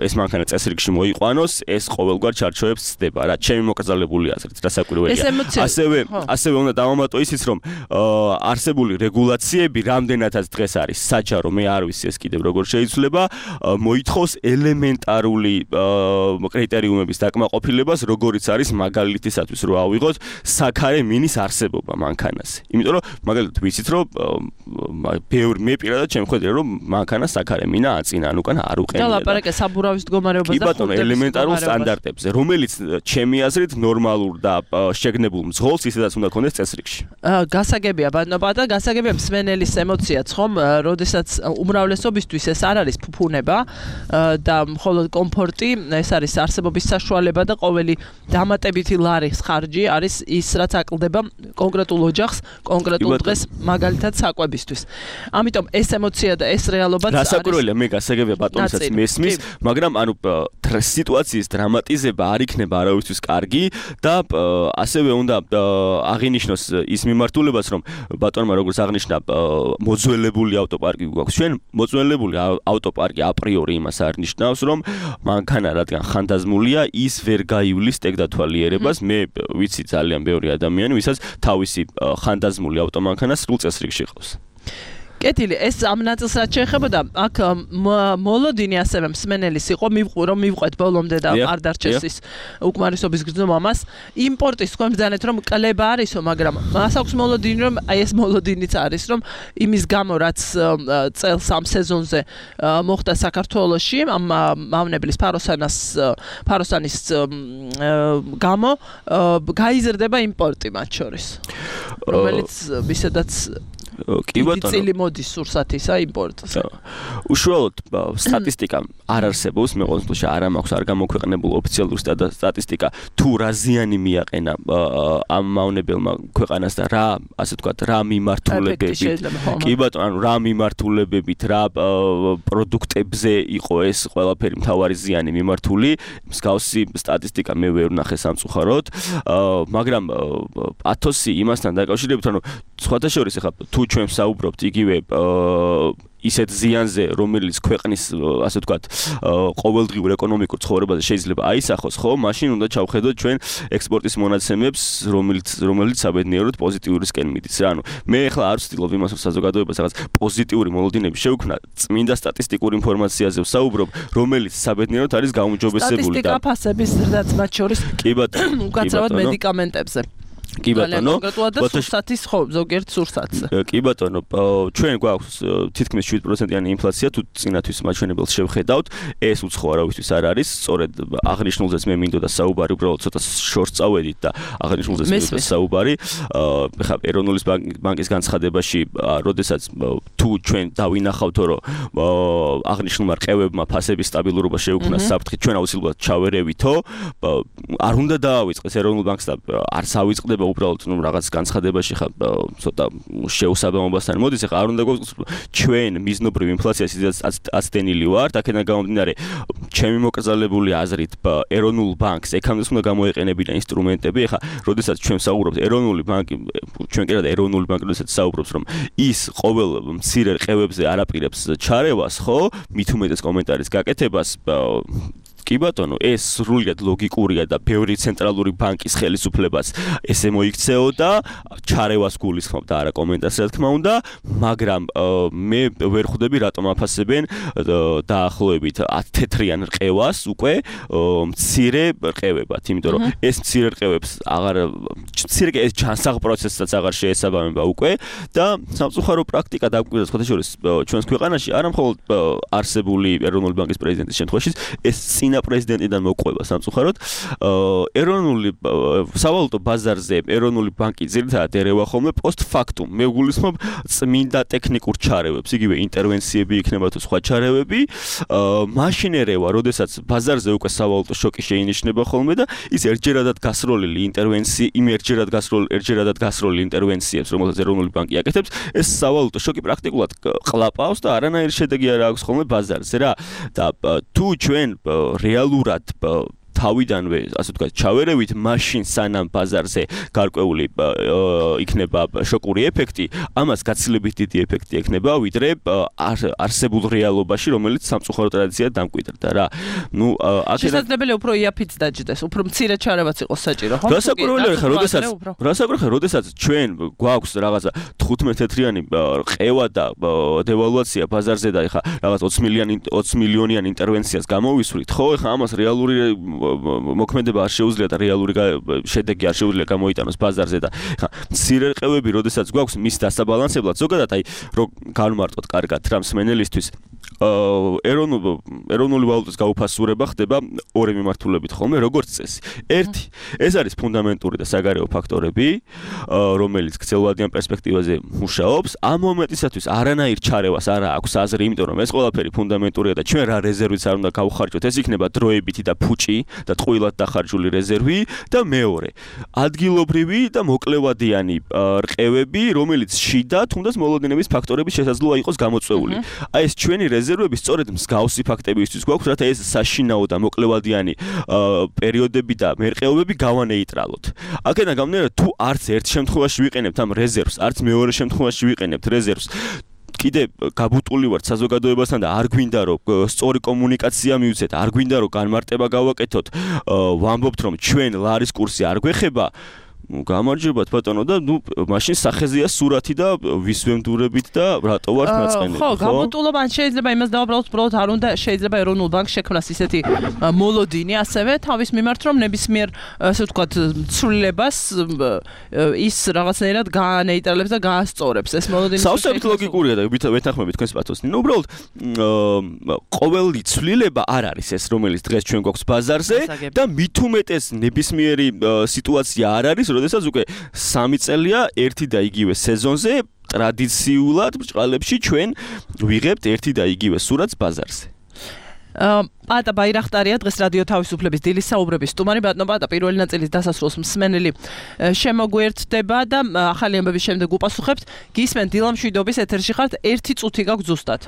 ეს მანქანა წესრიგში მოიყვანოს, ეს ყოველგვარ ჩარჩოებს ცდება რა. ჩემი მოკრძალებული აზრით, რასაკვირველია. ასევე უნდა დავამატო ისიც, რომ არსებული რეგულაციები რამდენადაც დღეს არის საჯარო, მე არ ვიცი ეს კიდევ როგორ შეიძლება, მოითხოვს ელემენტარული კრიტერიუმების დაკმაყოფილებას, როგორიც არის მაგალითისათვის რომ ავიღოთ საქარე მინის არსებობა მანქანაზე. იმიტომ რომ მაგალითად ვიცით რომ მე პირადად შემხედრე რომ მანქანა საქარე მინა აწინა, ან უკან არ უყენია. და ლაპარაკე საბურავის მდგომარეობაზე და ხუნტების ელემენტარულ სტანდარტებზე, რომელიც ჩემი აზრით ნორმალურ და შეგნებულ მძღოლს ისედაც უნდა ქონდეს წესრიგში. გასაგებია ბატონო და გასაგებია მსმენელის ემოციაც ხომ, როდესაც უმრავლესობისთვის ეს არ არის ფუფუნება და მხოლოდ კომფორტი, ეს არის არსებობის საშუალება და ყოველი დამატებითი ლარის ხარჯი არის ის, რაც აკლდება კონკრეტულ ოჯახს, კონკრეტულ დღეს მაგალითად საკვებისთვის. ამიტომ ეს ემოცია და ეს რეალობაც არის. რასაკვირველია, მე გასაგებია ბატონისაც მესმის, მაგრამ ანუ სიტუაციის დრამატიზება არ იქნება არავისთვის კარგი და ასევე უნდა აღინიშნოს ის მიმართულებაც, რომ ბატონმა როგორც აღნიშნა, მოძველებული ავტოპარკი გვაქვს. ჩვენ მოძველებული ავტოპარკი აპრიორი იმას არ ნიშნავს, რომ მანქანა რადგან ხანდაზმულია, ის ვერ გაივლის ტექდათვალიერებას. მე ვიცი ძალიან ბევრი ადამიანი, ვისაც თავისი ხანდაზმული ავტომანქანა სრულ წესრიგში ყავს. კეთილი, ეს ამ ნაწილს რაც შეეხებოდა, აქ მოლოდინი ასევე მსმენელის იყო, რომ მივყვეთ ბოლომდე და არ დარჩეს ის უკმარისობის გრძნობა მას. იმპორტის თქვენ ბრძანეთ, რომ კლება არისო, მაგრამ მას აქვს მოლოდინი, რომ აი ეს მოლოდინიც არის, რომ იმის გამო, რაც წელს ამ სეზონზე მოხდა საქართველოში, ამ მავნებლის ფაროსანის გამო გაიზრდება იმპორტი მათ შორის, რომელიც ვისედაც კი ბატონო. წილი მოდის სურსათისა იმპორტზე. უშუალოდ სტატისტიკა არ არსებობს, მე ყოველ შემთხვევაში არ მაქვს არ გამოქვეყნებული ოფიციალური სტატისტიკა თუ რა ზიანი მიაყენა ამ მავნებელმა ქვეყანას და რა, ასე ვთქვათ, რა მიმართულებებით. კი ბატონო, ანუ რა მიმართულებებით, რა პროდუქტებზე იყო ეს ყველაფერი მთავარი ზიანი მიმართული, მსგავსი სტატისტიკა მე ვერ ვნახე სამწუხაროდ, მაგრამ ათოსი იმასთან დაკავშირებით, ანუ სხვათა შორის ახლა თუ ჩვენ საუბრობთ იგივე ისეთ ზიანზე, რომელიც ქვეყნის, ასე ვთქვათ, ყოველდღიურ ეკონომიკურ ცხოვრებაზე შეიძლება აისახოს, ხო, მაშინ უნდა ჩავხედოთ ჩვენ ექსპორტის მონაცემებს, რომელიც საბედნიეროდ პოზიტიურისკენ მიდის რა. ანუ მე ახლა არ ვცდილობ იმას, რომ საზოგადოებას რაღაც პოზიტიური მოლოდინები შევქმნა, წმინდა სტატისტიკურ ინფორმაციაზე ვსაუბრობ, რომელიც საბედნიეროდ არის გაუმჯობესებული და სტატისტიკა ფასების ზრდაც მათ შორის კი ბატონო, უკაცრავად მედიკამენტებზე. კი ბატონო, სურსათის ხო, ზოგიერთ სურსათზე. კი ბატონო, ჩვენ გვაქვს თითქმის 7%-იანი ინფლაცია, თუ წინათვის მაჩვენებელს შევხედავთ, ეს უცხო არავისთვის არ არის, სწორედ აღნიშნულზეც მე მინდოდა საუბარი, უბრალოდ ცოტა შორს წავედით და აღნიშნულზეც მინდოდა საუბარი. ხა ეროვნული ბანკის განცხადებაში, როდესაც თუ ჩვენ დავინახავთ, რომ აღნიშნულმა რყევებმა ფასების სტაბილურობა შეუქმნა საფრთხით, ჩვენ აუცილებლად ჩავერევითო, არ უნდა დაავიწყდეს ეროვნულ ბანკს და არც ავიწყდება უბრალოდ რაღაც განცხადებაში ხა ცოტა შეუსაბამობასთან მოდის, ახლა არ უნდა გვაქვს ჩვენ მიზნობრივ ინფლაციას აცდენილი ვართ, აქედან გამომდინარე ჩემი მოკრძალებული აზრით ეროვნულ ბანკს ეკამდე უნდა გამოეყენებინა ინსტრუმენტები, ახლა როდესაც ჩვენ საუბრობთ ეროვნული ბანკი, ჩვენ კიდევ ეროვნული ბანკი როდესაც საუბრობს, რომ ის ყოველ მცირე რყევებზე არაპირებს ჩარევას, ხო, მით უმეტეს კომენტარის გაკეთებას, კი ბატონო, ეს სრულიად ლოგიკურია და ბევრი ცენტრალური ბანკის ხელისუფლებას ესე მოიქცეოდა, ჩარევას გულისხმობ და არა კომენტარს რა თქმა უნდა, მაგრამ მე ვერ ხვდები რატომ აფასებენ დაახლოებით 10 თეთრიან რყევას უკვე მცირე რყევებად, იმიტომ რომ ეს მცირე რყევებს ეს ჯანსაღ პროცესსაც აღარ შეესაბამება უკვე და სამწუხარო პრაქტიკა დაგვიკვირდა სხვათა შორის ჩვენს ქვეყანაში არა მხოლოდ არსებული ეროვნული ბანკის პრეზიდენტის შემთხვევაში, ეს პრეზიდენტიდან მოყვება სამწუხაროდ ეროვნული სავალუტო ბაზარზე ეროვნული ბანკი ძირითადად ერევა ხოლმე პოსტფაქტუმ მე გულისხმობ წმინდა ტექნიკურ ჩარევებს, იგივე ინტერვენციები იქნება თუ სხვა ჩარევები, მაშინ ერევა, როდესაც ბაზარზე უკვე სავალუტო შოკი შეინიშნება ხოლმე და ის ერთჯერადად გასროლილი ინტერვენციებს, რომელსაც ეროვნული ბანკი აკეთებს, ეს სავალუტო შოკი პრაქტიკულად ყლაპავს და არანაირი შედეგი არ აქვს ხოლმე ბაზარზე რა. და თუ ჩვენ რეალურად თავიდანვე, ასე ვთქვათ, ჩავერევით მაშინ სანამ ბაზარზე გარკვეული იქნება შოკური ეფექტი, ამას გაცილებით დიდი ეფექტი ექნება, ვიდრე არსებულ რეალობაში, რომელიც სამწუხარო ტრადიციად დამკვიდრდა რა. ნუ შესაძლებელია უფრო იაფიც დაჯდეს, უფრო მცირე ჩარევაც იყოს საჭირო, ხო? გასაკურველია ხა, როდესაც ჩვენ გვაქვს რაღაცა 15 თეთრიანი რყევა და დევალვაცია ბაზარზე და ხა რაღაც 20 მილიონიან ინტერვენციას გამოვისვრით, ხო? ხა ამას რეალური მოქმედება არ შეუძლია და რეალური შედეგი არ შეუძლია გამოიტანოს ბაზარზე და ხა მცირე რყევები, როდესაც გვაქვს მის დასაბალანსებლად, ზოგადად აი რომ განმარტოთ კარგად რა მსმენელისთვის ეროვნული ვალუტის გაუფასურება ხდება ორი მიმართულებით ხოლმე, როგორც წესი. ერთი, ეს არის ფუნდამენტური და საგარეო ფაქტორები, რომელიც გრძელვადიან პერსპექტივაზე მუშაობს. ამ მომენტისათვის არანაირ ჩარევას არ აქვს აზრი, იმიტომ რომ ეს ყველაფერი ფუნდამენტურია და ჩვენ რა რეზერვიც არ უნდა გავხარჯოთ, ეს იქნება დროებითი და ფუჭი და ტყუილად დახარჯული რეზერვი და მეორე, ადგილობრივი და მოკლევადიანი რყევები, რომელიც შიდა თუნდაც მოლოდინების ფაქტორების შესაძლოა იყოს გამოწვეული. აი ეს ჩვენი რეზერვები სწორედ მსგავსი ფაქტებისთვის გვაქვს, რათა ეს საშინაო და მოკლევადიანი პერიოდები და მერყეობები გავანეიტრალოთ. აქედან გამომდინარე, თუ არც ერთ შემთხვევაში ვიყენებთ ამ რეზერვს, არც მეორე შემთხვევაში ვიყენებთ რეზერვს, კიდე გაბუტული ვართ საზოგადოებასთან და არ გვინდა რომ სწორი კომუნიკაცია მივცეთ, არ გვინდა რომ განმარტება გავაკეთოთ, ვამბობთ რომ ჩვენ ლარის კურსი არ გვეხება, გამარჯობათ ბატონო და ნუ მაშინ სახეზეა სურათი და ვის ვემდურებით და რატო ვართ მაწყენები, ხო? გაბუტულობა ან შეიძლება იმას დავაბრალოთ, უბრალოდ არ უნდა შეიძლება ეროვნულ ბანკს შექმნას ისეთი მოლოდინი ასევე თავის მიმართ, რომ ნებისმიერ ასე ვთქვათ ცვლილებას ის რაღაცნაირად გაანეიტრალებს და გაასწორებს ეს მოლოდინი. სავსებით ლოგიკურია და ვეთანხმებით თქვენს პათოსს. ნუ უბრალოდ ყოველი ცვლილება არ არის ეს, რომელიც დღეს ჩვენ გვაქვს ბაზარზე და მით უმეტეს ნებისმიერი სიტუაცია არ არის, როდესაც უკვე 3 წელია ერთი და იგივე სეზონზე ტრადიციულად ბრჭყალებში ჩვენ ვიღებთ ერთი და იგივე სურათს ბაზარზე. პატა ბაირახტარია დღეს რადიო თავისუფლების დილის საუბრების სტუმარი. ბატონო პატა, პირველი ნაწილის დასასრულს მსმენელი შემოგვერდება და ახალი ამბების შემდეგ უპასუხებთ. გისმენთ დილამშვიდობის ეთერში ხართ, 1 წუთი გაქვს ზუსტად.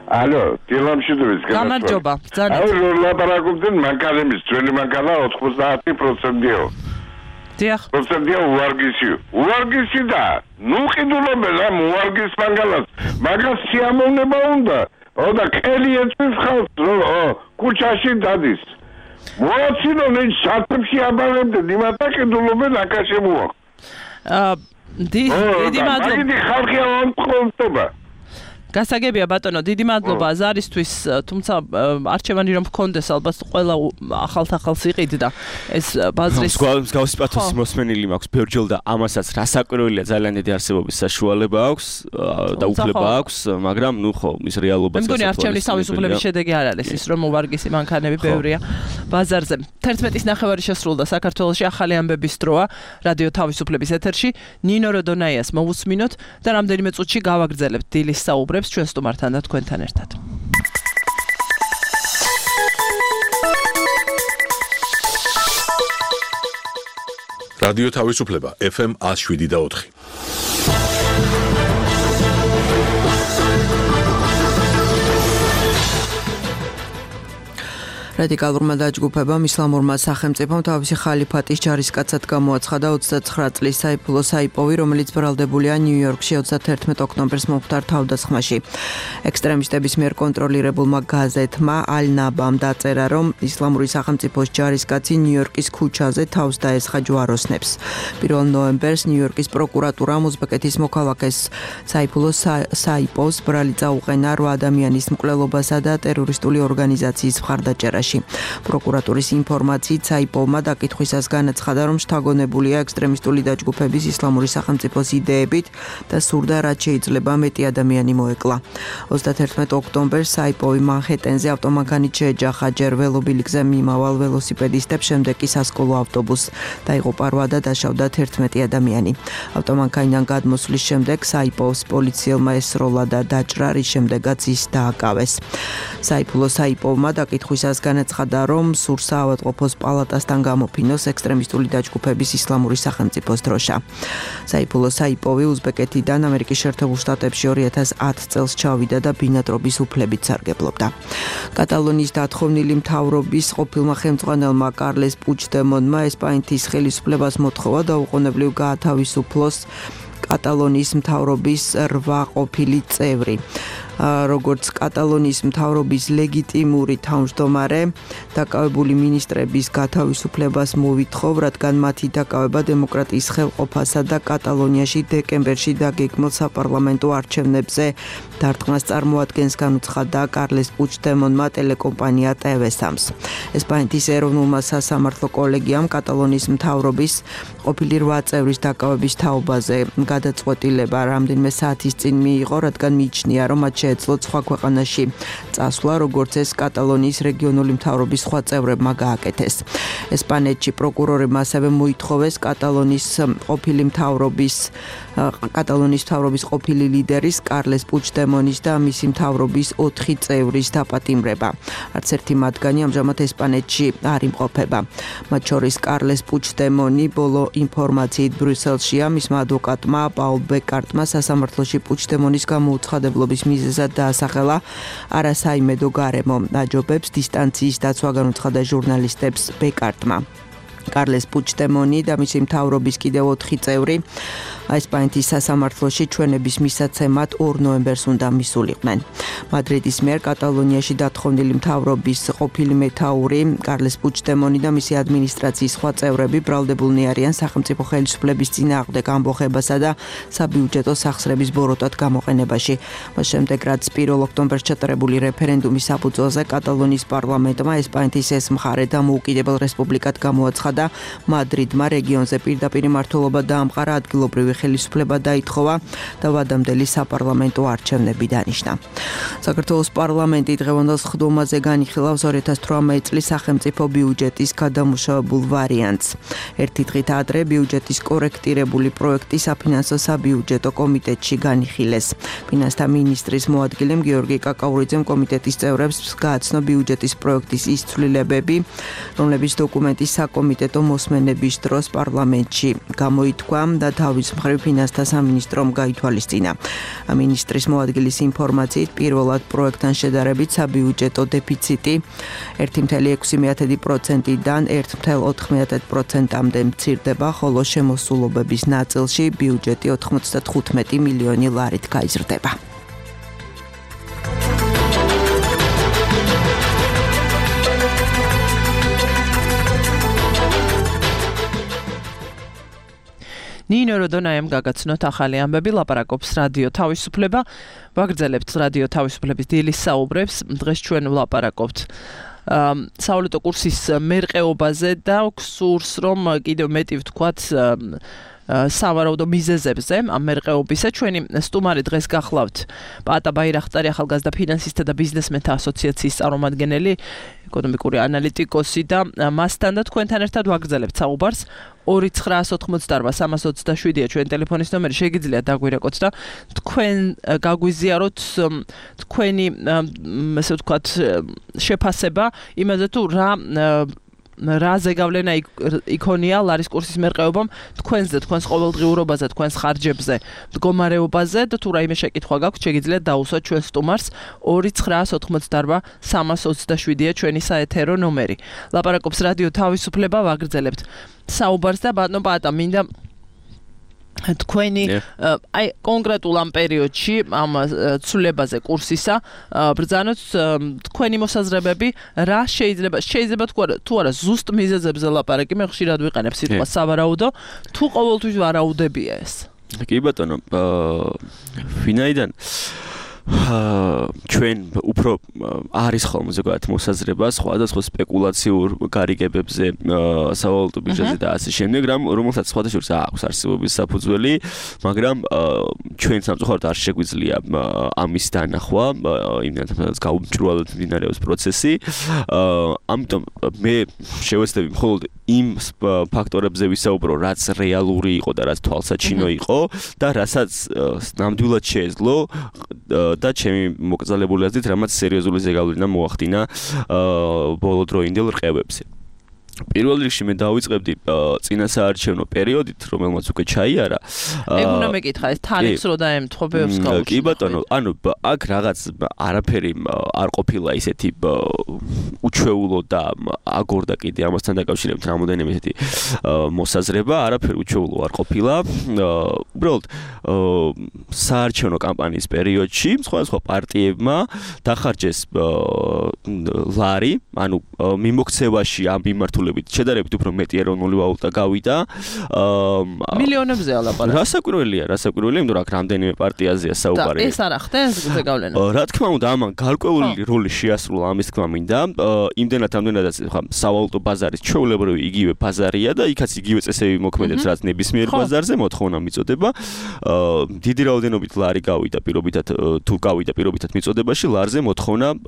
ალო, დილამშვიდობის გამარჯობა. აუ, ლაპარაკობდნენ მანქანების, ძველი მანქანა 90%-ია. დიახ. პროცენტია უარგისი და ნუ ყიდულობენ ამ უარგის მანქანას. მაგას სიამოვნება უნდა. და კელი ეწვის ხალხს, კუჩაში დადის. მოაცინონ ეს სათებში აბარებდნენ, იმათა ყიდულობენ აკაშე მოახ. დიდი მადლობა. დიდი ხალხია ამწყობდება. გასაგებია ბატონო, დიდი მადლობა ზარისთვის, თუმცა არჩევანი რომ გქონდეს, ალბათ ყველა ახალ-ახალს იყიდდა ეს ბაზრის მსგავსი პათოსი მოსმენილი მაქვს ბევრჯერ და ამასაც რასაკვირველია, ძალიან დიდი არსებობის საშუალება აქვს და უფლება აქვს, მაგრამ ნუ ხო, ის რეალობაც გასაგებია. მე მგონი არჩევნის თავისუფლების შედეგი არ არის ის, რომ უვარგისი მანქანები ბევრია ბაზარზე. 11:09 შესრულდა საქართველოში ახალი ამბების დროა რადიო თავისუფლების ეთერში. ნინო როდონაიას მოვუსმინოთ და რამდენიმე წუთში გავაგრძელებთ დილის საუბრებს ჩვენ სტუმართან და თქვენთან ერთად. რადიო თავისუფლება FM 107.4. რადიკალურმა დაჯგუფებამ ისლამურმა სახელმწიფომ თავისი ხალიფატის ჯარისკაცად გამოაცხადა 29 წლის საიფულო საიპოვი, რომელიც ბრალდებულია ნიუ-იორკში 31 ოქტომბერს მომხდარ თავდასხმაში. ექსტრემისტების მიერ კონტროლირებულმა გაზეთმა ალ-ნაბამ დაწერა, რომ ისლამური სახელმწიფოს ჯარისკაცი ნიუ-იორკის ქუჩაზე თავს დაესხა ჯვაროსნებს. 1 ნოემბერს ნიუ-იორკის პროკურატურამ უზბეკეთის მოქალაქეს საიფულო საიპოვს ბრალი წაუყენა 8 ადამიანის მკვლელობასა და ტერორისტული ორგანიზაციის მხარდაჭერაში. პროკურატურის ინფორმაციით საიპოვმა დაკითხვისას განაცხადა, რომ შთაგონებულია ექსტრემისტული დაჯგუფების ისლამური სახელმწიფოს იდეებით და სურდა რაც შეიძლება მეტი ადამიანი მოეკლა. 31 ოქტომბერს საიპოვი მანჰეტენზე ავტომანქანით შეეჯახა ჯერ ველობილიკზე მიმავალ ველოსიპედისტებს, შემდეგ კი სასკოლო ავტობუსს. დაიღუპა 8 და დაშავდა 11 ადამიანი. ავტომანქანიდან გადმოსვლის შემდეგ საიპოვს პოლიციელმა ესროლა და დაჭრა, რის შემდეგაც ის დააკავეს. საიფულო საიპოვმა დაკითხვისას განაცხადა, რომ სურს საავადმყოფოს პალატასთან გამოფინოს ექსტრემისტული დაჯგუფების ისლამური სახელმწიფოს დროშა. საიფულო საიპოვი უზბეკეთიდან ამერიკის შეერთებულ შტატებში 2010 წელს ჩავიდა და ბინადრობის უფლებით სარგებლობდა. კატალონიის დათხოვნილი მთავრობის ყოფილმა ხელმძღვანელმა კარლეს პუჩდემონმა ესპანეთის ხელისუფლებას მოთხოვა დაუყოვნებლივ გაათავისუფლოს კატალონიის მთავრობის 8 ყოფილი წევრი. როგორც კატალონიის მთავრობის ლეგიტიმური თავმჯდომარე, დაკავებული მინისტრების გათავისუფლებას მოვითხოვ, რადგან მათი დაკავება დემოკრატიის ხელყოფასა და კატალონიაში დეკემბერში დაგეგმილ საპარლამენტო არჩევნებზე დარტყმას წარმოადგენს, განუცხადა კარლეს პუჩდემონმა ტელეკომპანია TV3-ს. ესპანეთის ეროვნულმა სასამართლო კოლეგიამ კატალონიის მთავრობის ყოფილი 8 წევრის დაკავების თაობაზე გადაწყვეტილება რამდენიმე საათის წინ მიიღო, რადგან მიიჩნია, რომ მათ შეეძლოთ სხვა ქვეყანაში წასვლა, როგორც ეს კატალონიის რეგიონული მთავრობის სხვა წევრებმა გააკეთეს. ესპანეთში პროკურორებმა ასევე მოითხოვეს კატალონიის მთავრობის ყოფილი ლიდერის კარლეს პუჩდემონის და მისი მთავრობის 4 წევრის დაპატიმრება. არც ერთი მათგანი ამჟამად ესპანეთში არ იმყოფება. მათ შორის კარლეს პუჩდემონი ბოლო ინფორმაციით ბრიუსელშია, მისმა ადვოკატმა პაულ ბეკარტმა სასამართლოში პუჩდემონის გამოუცხადებლობის მიზეზად დაასახელა არასაიმედო გარემო აჯობებს დისტანციის დაცვა, განუცხადა ჟურნალისტებს ბეკარტმა. კარლეს პუჩდემონი და მისი მთავრობის კიდევ 4 წევრი ესპანეთის სასამართლოში ჩვენების მისაცემად 2 ნოემბერს უნდა მისულიყვნენ. მადრიდის მიერ კატალონიაში დათხოვნილი მთავრობის ყოფილი მეთაური კარლეს პუჩდემონი და მისი ადმინისტრაციის სხვა წევრები ბრალდებულნი არიან სახელმწიფო ხელისუფლების წინააღმდეგ ამბოხებასა და საბიუჯეტო სახსრების ბოროტად გამოყენებაში. მას შემდეგ, რაც 1 ოქტომბერს ჩატარებული რეფერენდუმის საფუძველზე კატალონიის პარლამენტმა ესპანეთის ეს მხარე დამოუკიდებელ რესპუბლიკად გამოაცხადა და მადრიდმა რეგიონზე პირდაპირ მმართველობა დაამყარა, ადგილობრივი ხელისუფლება დაითხოვა და ვადამდელი საპარლამენტო არჩევნები დანიშნა. საქართველოს პარლამენტი დღევანდელ სხდომაზე განიხილავს 2018 წლის სახელმწიფო ბიუჯეტის გადამუშავებულ ვარიანტს. ერთი დღით ადრე ბიუჯეტის კორექტირებული პროექტი საფინანსო საბიუჯეტო კომიტეტში განიხილეს. ფინანსთა მინისტრის მოადგილემ გიორგი კაკაურიძემ კომიტეტის წევრებს გააცნო ბიუჯეტის პროექტის ის ცვლილებები, რომლებიც დოკუმენტის საკომიტეტო მოსმენების დროს პარლამენტში გამოითქვა და თავის მხრივ ფინანსთა სამინისტრომ გაითვალისწინა. მინისტრის მოადგილის ინფორმაციით პირველად პროექტთან შედარებით საბიუჯეტო დეფიციტი 1.6%-დან 1.4%-მდე მცირდება, ხოლო შემოსულობების ნაწილში ბიუჯეტი 95 მილიონი ლარით გაიზრდება. ნინო როდონაიამ გაგაცნოთ ახალი ამბები, ლაპარაკობს რადიო თავისუფლება. ვაგრძელებთ რადიო თავისუფლების დილის საუბრებს. დღეს ჩვენ ვლაპარაკობთ სავალუტო კურსის მერყეობაზე და გსურს, რომ კიდევ მეტი ვთქვათ სავარაუდო მიზეზებზე ამ მერყეობისა. ჩვენი სტუმარი დღეს გახლავთ პატა ბაირახტარი, ახალგაზრდა ფინანსისტთა და ბიზნესმენთა ასოციაციის წარმომადგენელი, ეკონომიკური ანალიტიკოსი და მასთან და თქვენთან ერთად ვაგრძელებთ საუბარს. 2988327-ია ჩვენი ტელეფონის ნომერი, შეგიძლიათ დაგვირეკოთ და თქვენ გაგვიზიაროთ თქვენი ესე ვთქვათ შეფასება იმაზე თუ რა ზეგავლენა იქონია ლარის კურსის მერყეობამ თქვენზე, თქვენს ყოველდღიურობაზე, თქვენს ხარჯებზე, მდგომარეობაზე და თუ რაიმე შეკითხვა გაქვთ, შეგიძლიათ დაუსვათ ჩვენ სტუმარს. 2988327-ია ჩვენი საეთერო ნომერი. ლაპარაკობს რადიო თავისუფლება, ვაგრძელებთ საუბარს და ბატონო პატა, მინდა თქვენი აი კონკრეტულ ამ პერიოდში ამ ცვლილებაზე კურსისა ბრძანოთ თქვენი მოსაზრებები, რა შეიძლება თუ არა ზუსტ მიზეზებზე ლაპარაკი, მე ხშირად ვიყენებ სიტყვას სავარაუდო, თუ ყოველთვის ვარაუდებია ეს. კი ბატონო, ვინაიდან ჩვენ უფრო არის ხოლმე ზოგადად მოსაზრება სხვადასხვა სპეკულაციურ გარიგებებზე, სავალუტო ბირჟაზე და ასე შემდეგ, რომელსაც სხვადასხვა აქვს არსებობის საფუძველი, მაგრამ ჩვენ სამწუხაროდ არ შეგვიძლია ამის დანახვა, იმდენად გაუმჭრვალოდ მიმდინარეობს პროცესი. ამიტომ მე შევეცდები მხოლოდ იმ ფაქტორებზე ვისაუბრო, რაც რეალური იყო და რაც თვალსაჩინო იყო და რასაც ნამდვილად შეეძლო და ჩემი მოკრძალებული აზრით, რამაც სერიოზული ზეგავლენა მოახდინა ბოლოდროინდელ რყევებზე. პირველ რიგში მე დავიწყებდი წინასაარჩევნო პერიოდით, რომელმაც უკვე ჩაიარა. ეგ უნდა მეკითხა, ეს თარიღს რო დაემთხვა ბევრს გაუშვი. კი ბატონო, ანუ აქ რაღაც არაფერი არ ყოფილა ისეთი უჩვეულო და აგორდა კიდე ამასთან დაკავშირებით რამოდენიმე ისეთი მოსაზრება, არაფერი უჩვეულო არ ყოფილა. უბრალოდ საარჩევნო კამპანიის პერიოდში სხვადასხვა პარტიებმა დახარჯეს ლარი, ანუ მიმოქცევაში ამ მიმართულებით შედარებით უფრო მეტი ეროვნული ვალუტა გავიდა. მილიონებზეა ლაპარაკი. რასაკვირველია, იმიტომ რომ აქ რამდენიმე პარტიაზეა საუბარი. და ეს არ ახდენს ზეგავლენა. რა თქმა უნდა, ამან გარკვეული როლი შეასრულა ამის თქმა მინდა. იმდენადაც ხა სავალუტო ბაზარის ჩვეულებრივი იგივე ბაზარია და იქაც იგივე წესები მოქმედებს, რაც ნებისმიერ ბაზარზე, მოთხოვნა მიწოდება. დიდი რაოდენობით ლარი გავიდა პირობითად მიწოდებაში, ლარზე მოთხოვნა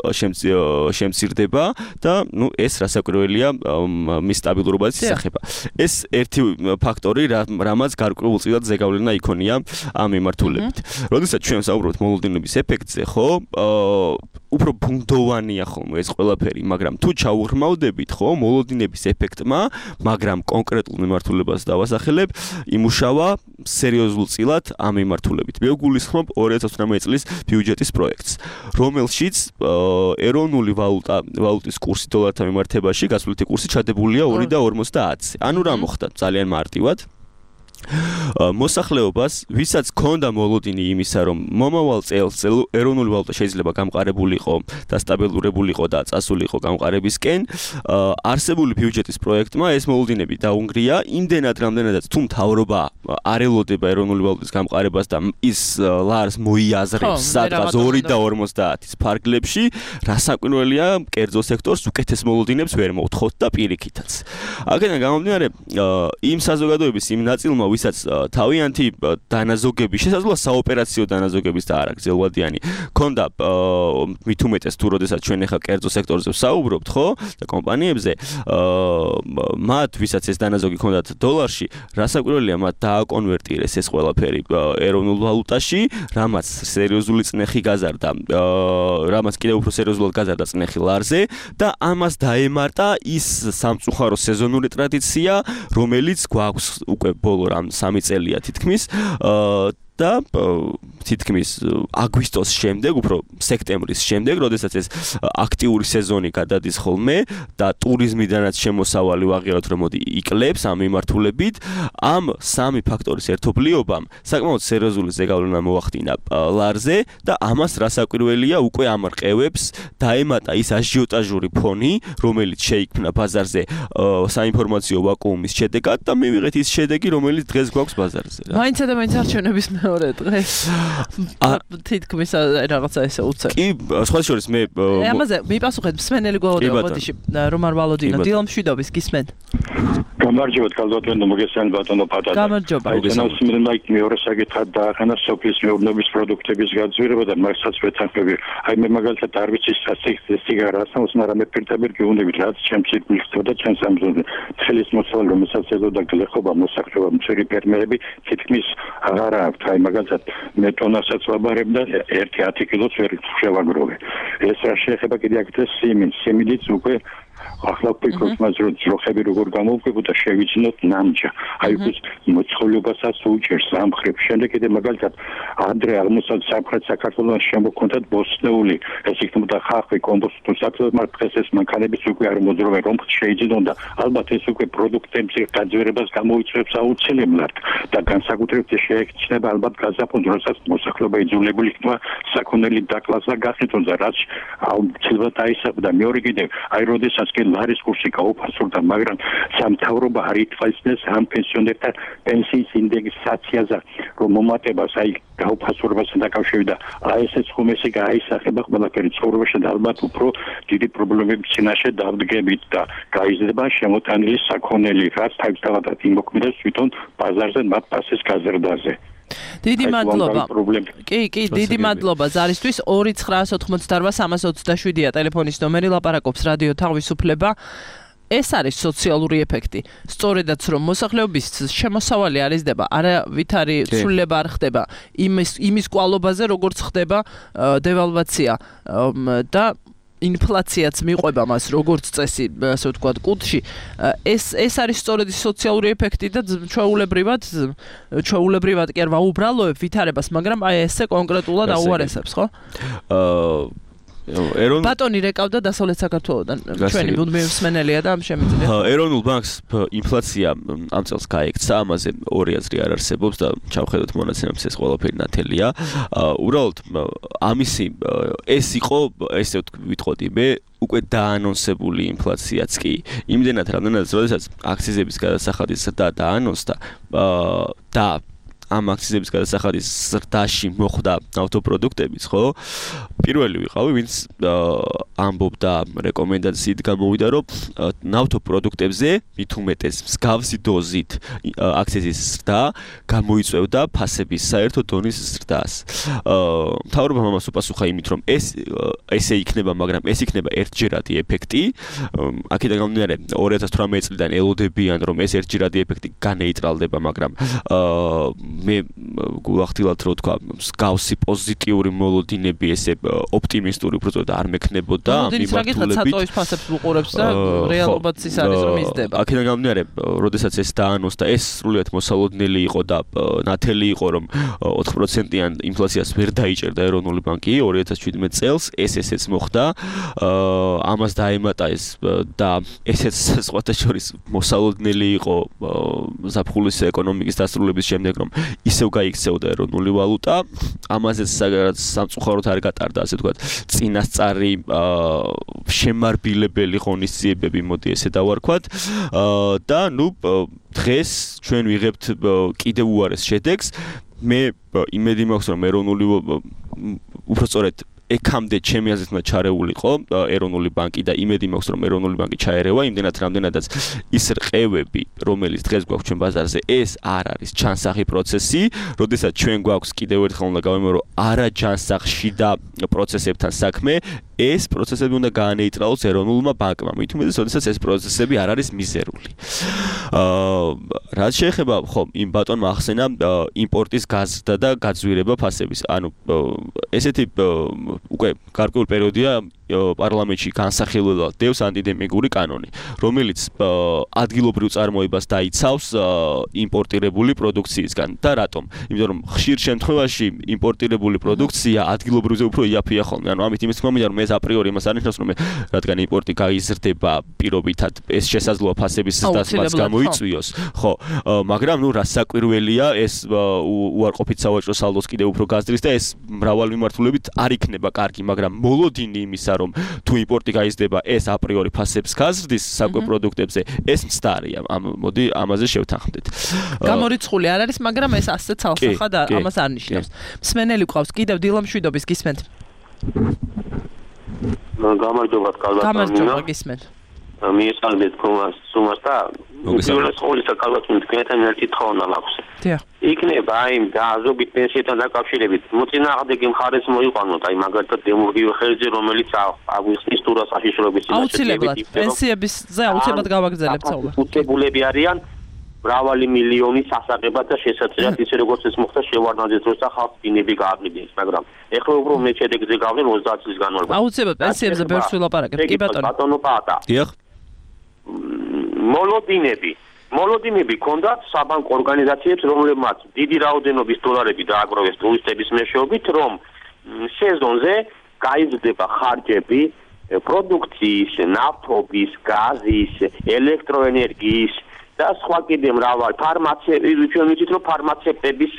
შემცირდება და ეს რასაკვირველია მის სტაბილურობაზე ისახება. ეს ერთი ფაქტორი, რამაც გარკვეულწილად ზეგავლენა იქონია ამ მიმართულებით. როდესაც ჩვენ საუბრობთ მოლოდინების ეფექტზე, ხო, უფრო ბუნდოვანია ხოლმე ეს ყველაფერი, მაგრამ თუ ჩაუღრმავდებით, ხო, მოლოდინების ეფექტმა, მაგრამ კონკრეტულ მიმართულებას დავასახელებ, იმუშავა სერიოზულწილად ამ მიმართულებით. მე ვგულისხმობ 2018 წლის ბიუჯეტის პროექტს, რომელშიც ეროვნული ვალუტის კურსი დოლართან მიმართებაში გასვლითი კურსი ჩადებულია 2.50-ზე. ანუ რა მოხდა? ძალიან მარტივად. მოსახლეობას, ვისაც ჰქონდა მოლოდინი იმისა, რომ მომავალ წელს ეროვნული ვალუტა შეიძლება გამყარებულიყო და სტაბილურებულიყო და წასულიყო გამყარებისკენ, არსებული ბიუჯეტის პროექტმა ეს მოლოდინები დაუნგრია, იმდენად რამდენადაც თუ მთავრობა არ ელოდება ეროვნული ვალუტის გამყარებას და ის ლარს მოიაზრებს სადღაც 2.50-ის ფარგლებში, რასაკვირველია, კერძო სექტორს უკეთეს მოლოდინებს ვერ მოუთხოთ და პირიქითაც. აქედან გამომდინარე, იმ საზოგადოების იმ ნაწილმა, ვისაც თავიანთი დანაზოგები, შესაძლოა საოპერაციო დანაზოგების და არა გრძელვადიანი, ქონდა მით უმეტეს თუ როდესაც ჩვენ ახლა კერძო სექტორზე ვსაუბრობთ, ხო? და კომპანიებზე, მათ ვისაც ეს დანაზოგი ქონდათ დოლარში, რასაკვირველია, მათ დააკონვერტირეს ეს ყველაფერი ეროვნულ ვალუტაში, რამაც სერიოზული წნეხი გაზარდა, რამაც კიდევ უფრო სერიოზულად გაზარდა წნეხი ლარზე და ამას დაემარტა ის სამწუხარო სეზონური ტრადიცია, რომელიც გვაქვს უკვე ბოლო რამ 3 წელია თითქმის და თითქმის აგვისტოს შემდეგ, უფრო სექტემბრის შემდეგ, როდესაც ეს აქტიური სეზონი გადადის ხოლმე და ტურიზმიდანაც შემოსავალი ვაღიაროთ, რომ მოდი იკლებს ამ მიმართულებით, ამ სამი ფაქტორის ერთობლიობამ საკმაოდ სერიოზული ზეგავლენა მოახდინა ლარზე და ამას რასაკვირველია უკვე ამრყევებს დაემატა ის აჟიოტაჟური ფონი, რომელიც შეიქმნა ბაზარზე საინფორმაციო ვაკუუმის შედეგად და მივიღეთ ის შედეგი, რომელიც დღეს გვაქვს ბაზარზე. მაინცა და მაინც არჩევნების მეორე დღეს თითქმის რაღაცა ესე უცებ. კი, სხვა შორის მე ამაზე მიპასუხეთ მსმენელი გვაოდევა ბოდიში რომარ ვალოდინო დილამშვიდობის გისმენთ. გამარჯობათ კალდატონო მოგესალმებით ბატონო პატარა. გამარჯობა. აი მეორე საკითხად დაახანა სოფლის მეურნეობის პროდუქტების გაძვირება და მასაც ვეთანხმები. აი მე მაგალითად არ ვიცი სიგარას, მაგრამ მე პირდაპირ გეუბნებით რაც ჩემს სიტყვისతో და ჩემს ამბზე. ცხელის მოსავალი რომელსაც ეზოდა გლეხობა მოსახლეობა მცირე ფერმერები თითქმის აღარ აქვს. აი მაგალითად მე ტონასაც ვაბარებ და 1-10 კილოს ვერ შევაგროვე. ეს რა შეეხება კიდე აქეთ სიმინდიც უკვე ახლა ფიქრობთ მას რომ ძროხები როგორ გამოვკვებოდა შევიძინოთ ნამჯა. აი ეს მოწყობილობასაც უჭერს ამ ხრებს. შემდეგ კიდე მაგალითად ადრე აღმოსავლეთ სამხრეთ საქართველოს შემოქონდათ ბოსტნეული. ეს იქნებოდა ხახვი, კომპოსტო საქმე, მაგრამ დღეს ეს მანქანების უკვე არ მოძრაობენ, რომ შეიძლება და ალბათ ეს უკვე პროდუქტების გაძვირებას გამოიწვევს აუცილებლად და განსაკუთრებით შეექცნება ალბათ გაზაფხულს, როდესაც მოსახლეობა იძულებული იქნება საქონელი დაკლასა გახსნითონ და რაც აუცილებლად აისახება. მეორე კიდე აი როდესაც ლარის კურსი გაუფასურდა, მაგრამ სამთავრობა არ ითვალისწინებს ამ პენსიონერთა პენსიის ინდექსაციაზე, რომ მომატებას აი გაუფასურებასთან დაკავშირებით და ASF ხომესი გაისახება ყველაფერი ცხოვრებაში და ალბათ უფრო დიდი პრობლემების წინაშე დავდგებით და გაიზრდება შემოტანილი საქონელი, რაც თავისთავად იმოქმედებს თვითონ ბაზარზე მათ პასის გაზრდაზე. დიდი მადლობა. კი, დიდი მადლობა ზარისთვის. 2988327-ია ტელეფონის ნომერი, ლაპარაკობს რადიო თავისუფლება. ეს არის სოციალური ეფექტი. სწორედაც რომ მოსახლეობის შემოსავალი არ იზრდება, არავითარი ცვლილება არ ხდება იმის კვალობაზე, როგორც ხდება დევალვაცია და ინფლაციაც მიყვება მას როგორც წესი, ასე ვთქვათ, კუთხში. ეს არის სწორედ სოციალური ეფექტი და ჩვეულებრივად კი არ ვაუბრალოებ ვითარებას, მაგრამ აი ესე კონკრეტულად აუარესებს, ხო? ბატონი რეკავდა დასავლეთ საქართველოსთან. ჩვენი მუდმივი მსმენელია და ამ შემიძლია. ეროვნულ ბანკს ინფლაცია ამ წელს გაექცა, ამაზე ორი აზრი არ არსებობს და ჩავხედოთ მონაცემებს ეს ყველაფერი ნათელია. უბრალოდ ამისი ეს იყო, ესე ვიტყოდი მე, უკვე დაანონსებული ინფლაციაც კი. იმდენად რამდენადაც როდესაც აქციზების გადასახადის ზრდა დაანონსდა და ამ აქციზების გადასახადის ზრდაში მოხვდა ნავთობპროდუქტების, ხო? პირველი ვიყავი, ვინც ამბობდა რეკომენდაციით გამოვიდა, რომ ნავთობპროდუქტებზე მით უმეტეს მსგავსი დოზით აქციზის ზრდა გამოიწვევდა ფასების საერთო დონის ზრდას. მთავრობამ ამას უპასუხა იმით, რომ ესე იქნება, მაგრამ ეს იქნება ერთჯერადი ეფექტი. აქედან გამომდინარე 2018 წლიდან ელოდებიან, რომ ეს ერთჯერადი ეფექტი განეიტრალდება, მაგრამ მე გულახდილად რო თქვა, მსგავსი პოზიტიური მოლოდინები, ესე ოპტიმისტური უბრალოდ არ მექნებოდა ამ მიმართულებით. საწოვის ფასებს უყურებს და რეალობაც ის არის რომ იზრდება. აქედან გამომდინარე, როდესაც ეს დაანონსდა, ეს სრულიად მოსალოდნელი იყო და ნათელი იყო, რომ 4%-იან ინფლაციას ვერ დაიჭერდა ეროვნული ბანკი 2017 წელს, ესეც მოხდა. ამას დაემატა ეს და ესეც სხვათა შორის მოსალოდნელი იყო ზაფხულის ეკონომიკის დასრულების შემდეგ, რომ ისევ გაიქცეოდა ეროვნული ვალუტა. ამაზეც სამწუხაროდ არ გატარდა, ასე ვთქვათ, წინასწარი შემარბილებელი ღონისძიებები, მოდი ესე დავარქვათ. და დღეს ჩვენ ვიღებთ კიდევ უარეს შედეგს. მე იმედი მაქვს, რომ ეროვნული უბრალოდ ეკამდე ჩემი აზრით უნდა ჩარეულიყო ეროვნული ბანკი და იმედი მაქვს, რომ ეროვნული ბანკი ჩაერევა, იმდენად რამდენადაც ის რყევები, რომელიც დღეს გვაქვს ჩვენ ბაზარზე, ეს არ არის ჩანსახი პროცესი, როდესაც ჩვენ გვაქვს კიდევ ერთხელ უნდა გავიმეორო არაჯანსაღში და პროცესებთან საქმე, ეს პროცესები უნდა გაანეიტრალოს ეროვნულმა ბანკმა. მით უმეტეს, როდესაც ეს პროცესები არ არის მიზერული. რაც შეეხება, იმ ბატონმა ახსენა იმპორტის გაზრდა და გაძვირება ფასების. ანუ ესეთი უკვე გარკვეული პერიოდია პარლამენტში განსახილველად დევს ანტიდემპინგური კანონი, რომელიც ადგილობრივ წარმოებას დაიცავს იმპორტირებული პროდუქციისგან. და რატომ? იმიტომ რომ ხშირ შემთხვევაში იმპორტირებული პროდუქცია ადგილობრივზე უფრო იაფია ხოლმე. ანუ ამით იმის თქმა მინდა, რომ ეს აპრიორი იმას არ ნიშნავს, რომ რადგან იმპორტი გაიზრდება პირობითად, ეს შესაძლოა ფასების ზრდას გამოიწვიოს. ხო, მაგრამ რა საკვირველია, ეს უარყოფით სავაჭრო სალდოს კიდევ უფრო გაზრდის და ეს მრავალი მიმართულებით არ იქნება კარგი, მაგრამ მოლოდინი იმისა, რომ თუ იმპორტი გაიზრდება, ეს აპრიორი ფასებს გაზრდის საკვე პროდუქტებზე, ეს მცდარია. მოდი ამაზე შევთანხმდეთ. გამორიცხული არ არის, მაგრამ ეს ასე ცალსახად ამას არ ნიშნავს. მსმენელი გვყავს კიდევ დილამშვიდობის გისმენთ. გამარჯობათ, გამარჯობა გისმენთ. მიესალმეთ თქვენს სუმას და უბრალოდ ხოლისა კალათმით თქვენთან ერთი თხოვნა მაქვს. დიახ. იქნება აი დაზოგით პენსიასთან დაკავშირებით მოწინააღმდეგე მხარეს მოიყვანოთ, აი მაგალითად დემურგიო ხელზე, რომელიც აგვიხსნის თურა საშიშროების აუცილებლად პენსიებისზე აუცილებლად გავაგრძელებთ საუბარს. უტებულები არიან მრავალი მილიონი სასაღებად და შესაძლებლად ისე როგორც ეს მოხდა შევარდნაძის დროს და ხალხს დინები გააყრიდნენ, მაგრამ ეხლა უფრო მე შედეგზე გავდენ 30 წლის განმავლობაში. აუცილებლად პენსიებზე ბევრს ვილაპარაკებთ. კი ბატონო. ბატონო პატა. დიახ. მოლოდინები ქონდათ საბანკო ორგანიზაციებს, რომლებმაც დიდი რაოდენობის დოლარები დააგროვეს ტურისტების მეშვეობით, რომ სეზონზე გაიზრდება ხარჯები პროდუქციის, ნავთობის, გაზის, ელექტროენერგიის და სხვა კიდე მრავალი ფარმაცევტების, ჩვენ ვიცით, რომ ფარმაცევტების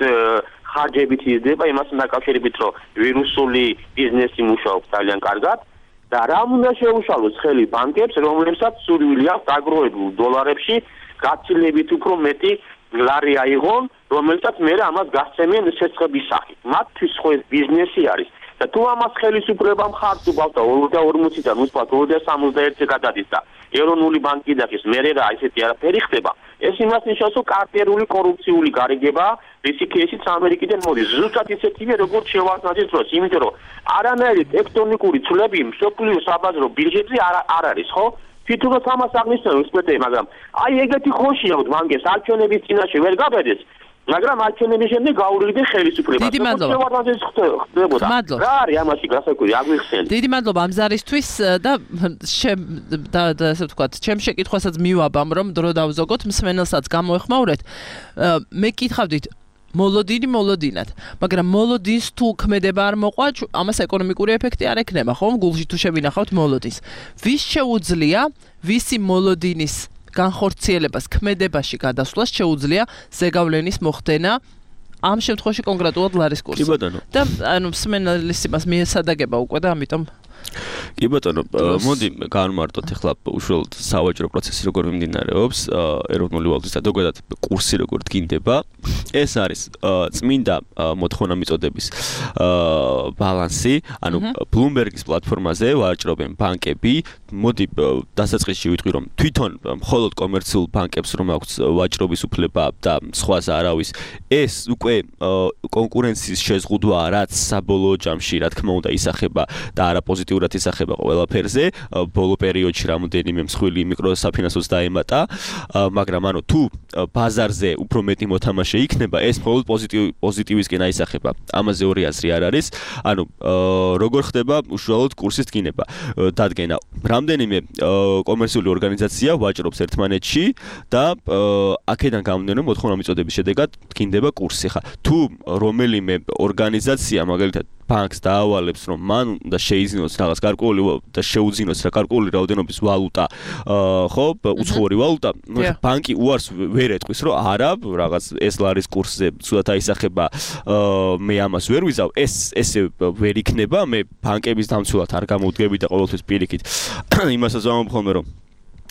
ხარჯებით იზრდება იმასთან დაკავშირებით, რომ ვირუსული ბიზნესი მუშაობს ძალიან კარგად. და რა უნდა შეუშალოს ხელი ბანკებს, რომლებსაც სურვილი აქვს დაგროვებულ დოლარებში გაცილებით უფრო მეტი ლარი აიღონ, რომელსაც მე ამას გასცემენ სეცხების სახით. მათთვის ხო ეს ბიზნესი არის და თუ ამას ხელისუფლება მხარს უგავს და 2040-დან უცბად 2061-ზე გადადის და ეროვნული ბანკი დახის, მე რა ისეთი არაფერი ხდება. ეს იმას ნიშნავს, რომ კარტერული კორუფციული გარიგება რისი кейსიც ამერიკიდან მოდის. ზუსტად ისეთივე როგორც შევარდნაძის დროს, იმიტომ რომ არანაირი ტექტონიკური ცვლილება მსოფლიო საბაზრო ბირჟებზე არ არის, ხო? თვითონაც ამას აღნიშნავს ექსპერტები, მაგრამ აი ეგეთი ხოშია ბანკებს არჩევნების წინაშე ვერ გაბედეს, მაგრამ არჩევნების შემდეგ გაურიგდნენ ხელისუფლებას. დიდი მადლობა. რა არის ამაში გასაკვირი, აგვიხსენეთ. დიდი მადლობა ამ ზარისთვის და ასე ვთქვათ, ჩემ შეკითხვასაც მივაბამ, რომ დრო დავზოგოთ, მსმენელსაც გამოეხმაურეთ. მე კითხავდით მოლოდინად, მაგრამ მოლოდინს თუ ქმედება არ მოყვა, ამას ეკონომიკური ეფექტი არ ექნება, ხომ? გულში თუ შევინახავთ მოლოდინს. ვის შეუძლია ვისი მოლოდინის განხორციელებას ქმედებაში გადასვლას შეუძლია ზეგავლენის მოხდენა ამ შემთხვევაში კონკრეტულად ლარის კურსი. კი ბატონო. და ანუ მსმენელის იმას მიესადაგება უკვე და ამიტომ კი ბატონო, მოდი განმარტოთ ახლა უშუალოდ სავაჭრო პროცესი როგორ მიმდინარეობს, ეროვნული ვალუტის და ზოგადად კურსი როგორ დგინდება. ეს არის წმინდა მოთხოვნა მიწოდების ბალანსი, ანუ Bloomberg-ის პლატფორმაზე ვაჭრობენ ბანკები. მოდი დასაწყისში ვიტყვი, რომ თვითონ მხოლოდ კომერციულ ბანკებს რომ აქვს ვაჭრობის უფლება და სხვას არავის, ეს უკვე კონკურენციის შეზღუდვა, რაც საბოლოო ჯამში, რა თქმა უნდა, ისახება და არა პოზიტიურად ისახება ეხება ყველაფერზე, ბოლო პერიოდში რამოდენიმე მსხვილი მიკროსაფინანსოს დაემატა, მაგრამ ანუ თუ ბაზარზე უფრო მეტი მოთამაშე იქნება, ეს მხოლოდ პოზიტივისკენ აისახება. ამაზე ორი აზრი არ არის. ანუ როგორ ხდება უშუალოდ კურსის დგინება? დადგენა. რამდენიმე კომერციული ორგანიზაცია ვაჭრობს ერთმანეთში და აქედან გამომდინარე მოთხოვნა მიწოდების შედეგად დგინდება კურსი. ხა თუ რომელიმე ორგანიზაცია მაგალითად ბანკს დაავალებს, რომ მან უნდა შეიძინოს რაღაც გარკვეული და შეუძინოს რა გარკვეული რაოდენობის ვალუტა, ხო, უცხოური ვალუტა, ბანკი უარს ვერ ეტყვის, რომ არა, რაღაც ეს ლარის კურსზე ცუდად აისახება, მე ამას ვერ ვიზავ, ესე ვერ იქნება, მე ბანკების დამცველად არ გამოვდგები და ყოველთვის პირიქით იმასაც ვამბობ, რომ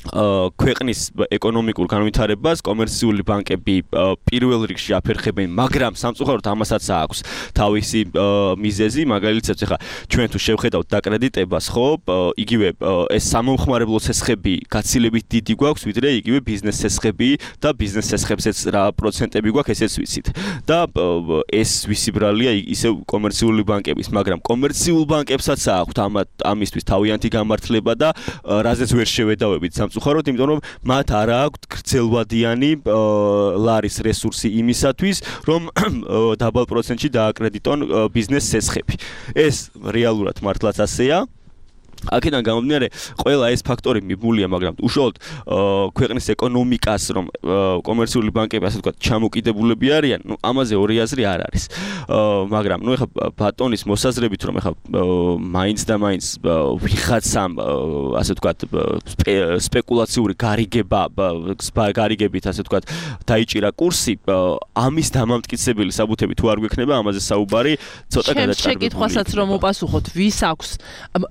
ქვეყნის ეკონომიკურ განვითარებას კომერციული ბანკები პირველ რიგში აფერხებენ, მაგრამ სამწუხაროდ ამასაც აქვს თავისი მიზეზი, მაგალითად ახლა ჩვენ თუ შევხედავთ დაკრედიტებას, ხო, იგივე ეს სამომხმარებლო ცესხები გაცილებით დიდი გვაქვს, ვიდრე იგივე ბიზნეს ცესხები და ბიზნეს ცესხებზეც რა პროცენტები გვაქვს, ესეც ვიცით. და ეს ვისიბრალია ისევ კომერციული ბანკების, მაგრამ კომერციულ ბანკებსაც აქვთ ამისთვის თავიანთი გამართლება და რაზეც ვერ შევედავებით უხაროდ, იმიტომ რომ მათ არ აქვთ გრძელვადიანი ლარის რესურსი იმისათვის, რომ დაბალ პროცენტში დააკრედიტონ ბიზნეს ცესხები. ეს რეალურად მართლაც ასეა. აქედან გამომდინარე, ყველა ეს ფაქტორი მიბმულია, მაგრამ უშუალოდ ქვეყნის ეკონომიკას, რომ კომერციული ბანკები ასე ვთქვათ, ჩამოკიდებულები არიან, ნუ ამაზე ორი აზრი არ არის. მაგრამ ნუ ეხლა ბატონის მოსაზრებით, რომ ეხლა მაინც და მაინც ვიღაცამ ასე ვთქვათ, სპეკულაციური გარიგებით ასე ვთქვათ, დაიჭირა კურსი, ამის დამამტკიცებელი საბუთები თუ არ გვექნება, ამაზე საუბარი ცოტა გადაჭარბებულია. შეკითხვასაც რომ უპასუხოთ, ვის აქვს?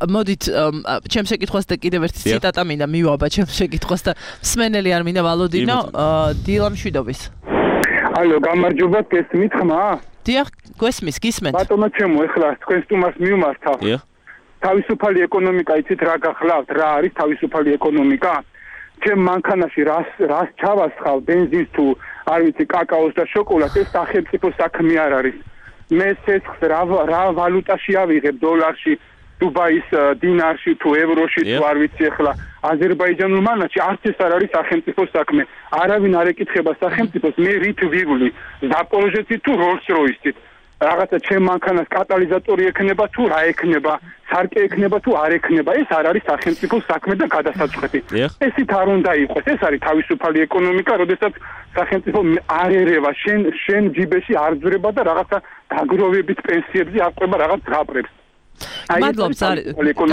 მოდით ჩემს შეკითხვას და კიდევ ერთი ციტატა მინდა მივაბა ჩემს შეკითხვას და მსმენელი არ მინდა ვალოდინო დილა მშვიდობის. ალო, გამარჯობა, გესმით ხმა? დიახ, გესმის, გისმენთ. ბატონო ჩემო, ეხლა თქვენ სტუმარს მივმართავ. დიახ. თავისუფალი ეკონომიკა, იცით რა გახლავთ, რა არის თავისუფალი ეკონომიკა? ჩემ მანქანაში რას ჩავასხავ, ბენზინს თუ არ ვიცი, კაკაოს და შოკოლადს, ეს სახელმწიფო საქმე არ არის. მე ცეცხლს რა ვალუტაში ავიღებ, დოლარში, დუბაის დინარში თუ ევროში თუ არ ვიცი ახლა აზერბაიჯანულ მანათში არც ეს არ არის სახელმწიფო საქმე. არავინ არ ეკითხება სახელმწიფოს, მე რით ვივლი, ზაპოროჟეცით თუ როლს-როისით. რაღაცა ჩემ მანქანას კატალიზატორი ექნება თუ რა ექნება, სარკე ექნება თუ არ ექნება, ეს არ არის სახელმწიფო საქმე და გადასაწყვეტი. ესით არ უნდა იყოს, ეს არის თავისუფალი ეკონომიკა, როდესაც სახელმწიფო არ ერევა შენ ჯიბეში არ ძვრება და რაღაცა დაგროვებით პენსიებზე აღყვება რაღაც ზღაპრებს. მადლობს,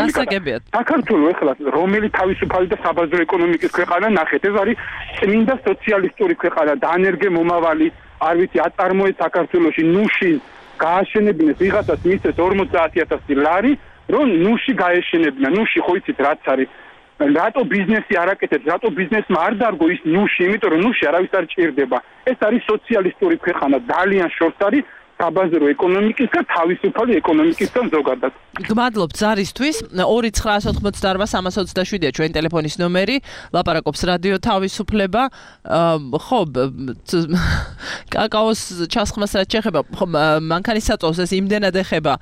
გასაგებია. საქართველოს ეხლა რომელი თავისუფალი და საბაზრო ეკონომიკის ქვეყანა ნახეთ, ეს არის წმინდა სოციალისტური ქვეყანა, დაანერგე მომავალი, არ ვიცი, აწარმოეთ საქართველოში ნუში გააშენებინეს, ვიღაცას მისცეს 50,000 ლარი, რომ ნუში გაეშენებინა. ნუში ხო იცით რაც არის? რატო ბიზნესი არ აკეთებს, რატო ბიზნესმა არ დარგო ის ნუში, იმიტომ რომ ნუში არავის არ ჭირდება. ეს არის სოციალისტური ქვეყანა, ძალიან შორს არის საბაზრო ეკონომიკის და თავისუფალი ეკონომიკისთან ზოგადად. გმადლობთ ზარისთვის. 2988327-ია ჩვენ ტელეფონის ნომერი. ლაპარაკობს რადიო თავისუფლება. ხო, კაკაოს ჩასხმას რაც შეეხება, ხო, მანქანის საწვავს ეს იმდენად ეხება,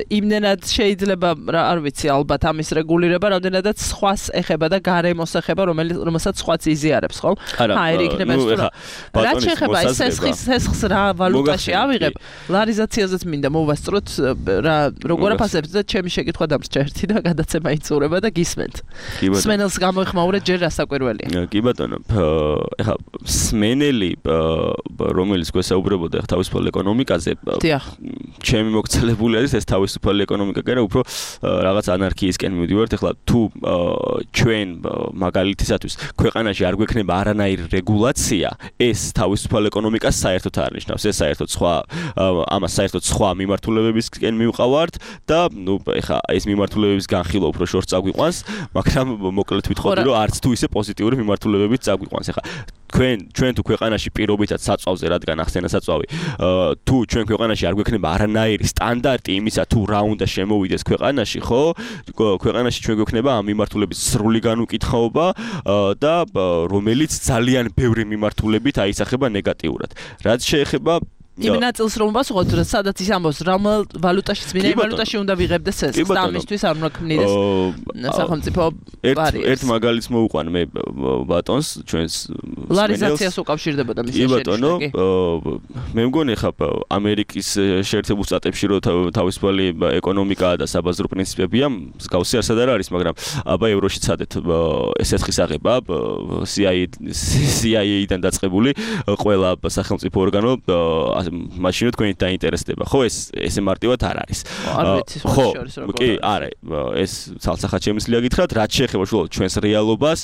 იმდენად შეიძლება, არ ვიცი, ალბათ ამის რეგულირება, რამდენადაც სხვას ეხება და გარემოს ეხება, რომელსაც სხვაც იზიარებს, ხო? აი, იქნება ეს. რაც შეეხება ეს სესხს რა ვალუტაში ავიღებ, ლარიზაციაზეც მინდა მოვასწროთ რა როგორ აფასებთ და ჩემი შეკითხვა დამრჩა ერთი და გადაცემა იწურება და გისმენთ. სმენელს გამოიხმაურეთ ჯერ რასაკვირველია. კი ბატონო, ეხლა სმენელი რომელიც გვესაუბრებოდა ეხლა თავისუფალ ეკონომიკაზე, ჩემი მოგცელებული არის ეს თავისუფალი ეკონომიკა, კი რა, უფრო რაღაც ანარქიისკენ მივდივართ. ეხლა თუ ჩვენ მაგალითისათვის ქვეყანაში არ გვექნება არანაირი რეგულაცია, ეს თავისუფალ ეკონომიკას საერთოდ არ ნიშნავს. ეს საერთოდ სხვა ამას საერთოდ სხვა მიმართულებებისკენ მივყავართ და ნუ ეხა ეს მიმართულებების განხილვა უფრო შორს წაგვიყვანს, მაგრამ მოკლედ ვიტყოდი რომ არც თუ ისე პოზიტიური მიმართულებებით წაგვიყვანს. ეხა ჩვენ თუ ქვეყანაში პირობითად საწვავზე, რადგან ახსენა საწვავი, თუ ჩვენ ქვეყანაში არ გვექნება არანაირი სტანდარტი იმისა თუ რა უნდა შემოვიდეს ქვეყანაში, ხო? ქვეყანაში ჩვენ გვექნება ამ მიმართულების სრული განუკითხაობა და რომელიც ძალიან ბევრი მიმართულებით აისახება ნეგატიურად. რაც შეეხება იმ ნაწილს რომ ვასუხოთ, სადაც ის ამბობს, რა ვალუტაშიც მინდა იმ ვალუტაში უნდა ვიღებდეს ეს, და ამისთვის არ უნდა ქმნიდეს სახელმწიფო ბარიერს. ერთ მაგალითს მოვუყვან მე ბატონს, ჩვენს ლარიზაციას უკავშირდებოდა მის შეერთებული. მე მგონი ხა ამერიკის შეერთებულ შტატებში რო თავისუფალი ეკონომიკაა და საბაზრო პრინციპებია, მსგავსი არც არ არის, მაგრამ აბა ევროში ცადეთ ეს ერთხის აღება CIA-დან დაწყებული ყველა სახელმწიფო ორგანო მაშინ თქვენი დაინტერესდება. ხო, ესე მარტივად არ არის. ხო, კი, არა, ეს ცალსახად შემიძლია გითხრათ, რაც შეეხება ჩვენს რეალობას,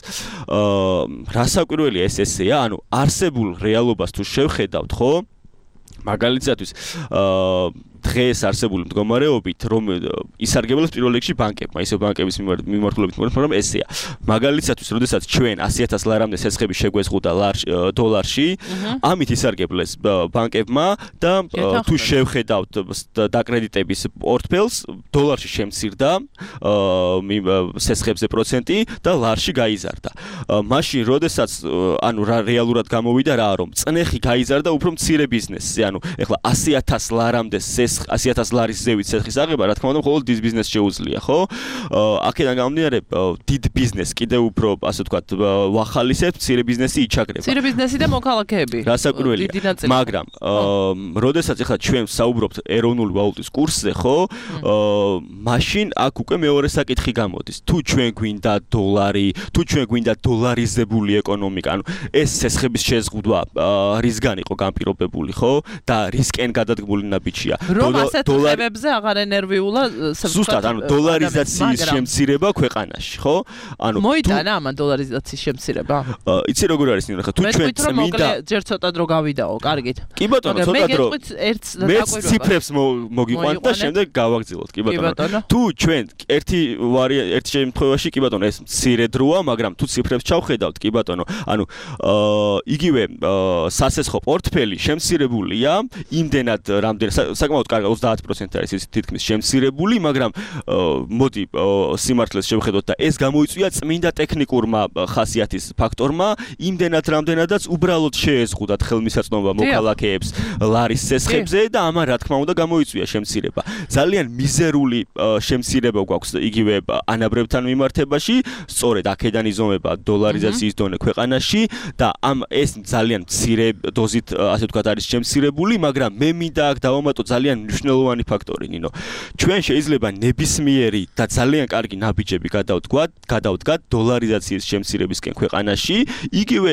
რასაკვირველია ესეა, ანუ არსებულ რეალობას თუ შევხედავთ, ხო? მაგალითად, დღეს არსებული მდგომარეობით, რომ ისარგებლებს პირველ რიგში ბანკებმა, ისე ბანკების მიმართულებით, მაგრამ ესეა. მაგალითად, როდესაც ჩვენ 100,000 ლარამდე სესხები შეგვეზღუდა დოლარში, ამით ისარგებლეს ბანკებმა და თუ შევხედავთ დაკრედიტების პორტფელს, დოლარში შემცირდა სესხებზე პროცენტი და ლარში გაიზარდა. მაშინ, როდესაც ანუ რეალურად გამოვიდა რა, რომ წნეხი გაიზარდა უფრო მცირე ბიზნესზე, ანუ ეხლა 100,000 ლარამდე 100,000 ლარის ზევით სესხის აღება, რა თქმა უნდა, მხოლოდ დიდ ბიზნესს შეუძლია, ხო? აქედან გამომდინარე, დიდ ბიზნესს კიდევ უფრო, ასე ვთქვათ, ვახალისებთ, მცირე ბიზნესი იჩაგრება. მცირე ბიზნესი და მოქალაქეები. რასაკვირველია. მაგრამ, როდესაც ახლა ჩვენ საუბრობთ ეროვნული ვალუტის კურსზე, ხო? მაშინ აქ უკვე მეორე საკითხი გამოდის. თუ ჩვენ გვინდა დოლარი, თუ ჩვენ გვინდა დოლარიზებული ეკონომიკა, ანუ ეს სესხების შეზღუდვა რისგან იყო განპირობებული, ხო? და რისკენ გადადგმული ნაბიჯია. რომ ასეთ ხებებზე აღარ ენერვიულა ზუსტად, ანუ დოლარიზაციის შემცირება ქვეყანაში, ხო? ანუ მოიტანა ამან დოლარიზაციის შემცირება? იცი როგორ არის ნუ ხა თუ ჩვენ წმინდა ჯერ ცოტა დრო გავიდაო, კარგით. კი ბატონო, ცოტა დრო. მე ციფრებს მოგიყვანთ და შემდეგ გავაგრძელოთ, კი ბატონო. თუ ჩვენ ერთი შემთხვევაში, კი ბატონო, ეს მცირე დროა, მაგრამ თუ ციფრებს ჩავხედავთ, კი ბატონო, ანუ იგივე სასესხო პორტფელი შემცირებულია, იმდენად რამდენად საკმაოდ კარგად 30% არის ის თითქმის შემცირებული, მაგრამ მოდი სიმართლეს შევხედოთ და ეს გამოიწვია წმინდა ტექნიკურმა ხასიათის ფაქტორმა, იმდენად რამდენადაც უბრალოდ შეეზღუდათ ხელმისაწვდომობა მოქალაქეებს ლარის სესხებზე და ამან რა თქმა უნდა გამოიწვია შემცირება. ძალიან მიზერული შემცირება გვაქვს იგივე ანაბრებთან მიმართებაში, სწორედ აქედან იზომება დოლარიზაციის დონე ქვეყანაში და ეს ძალიან მცირე დოზით, ასე ვთქვათ, არის შემცირებული, მაგრამ მე მინდა აქ დავამატო ძალიან მნიშვნელოვანი ფაქტორი, ნინო. ჩვენ შეიძლება ნებისმიერი და ძალიან კარგი ნაბიჯები გადავდგათ დოლარიზაციის შემცირებისკენ ქვეყანაში, იგივე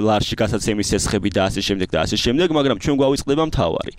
ლარში გასაცემის სესხები და ასე შემდეგ, მაგრამ ჩვენ გვავიწყდება მთავარი.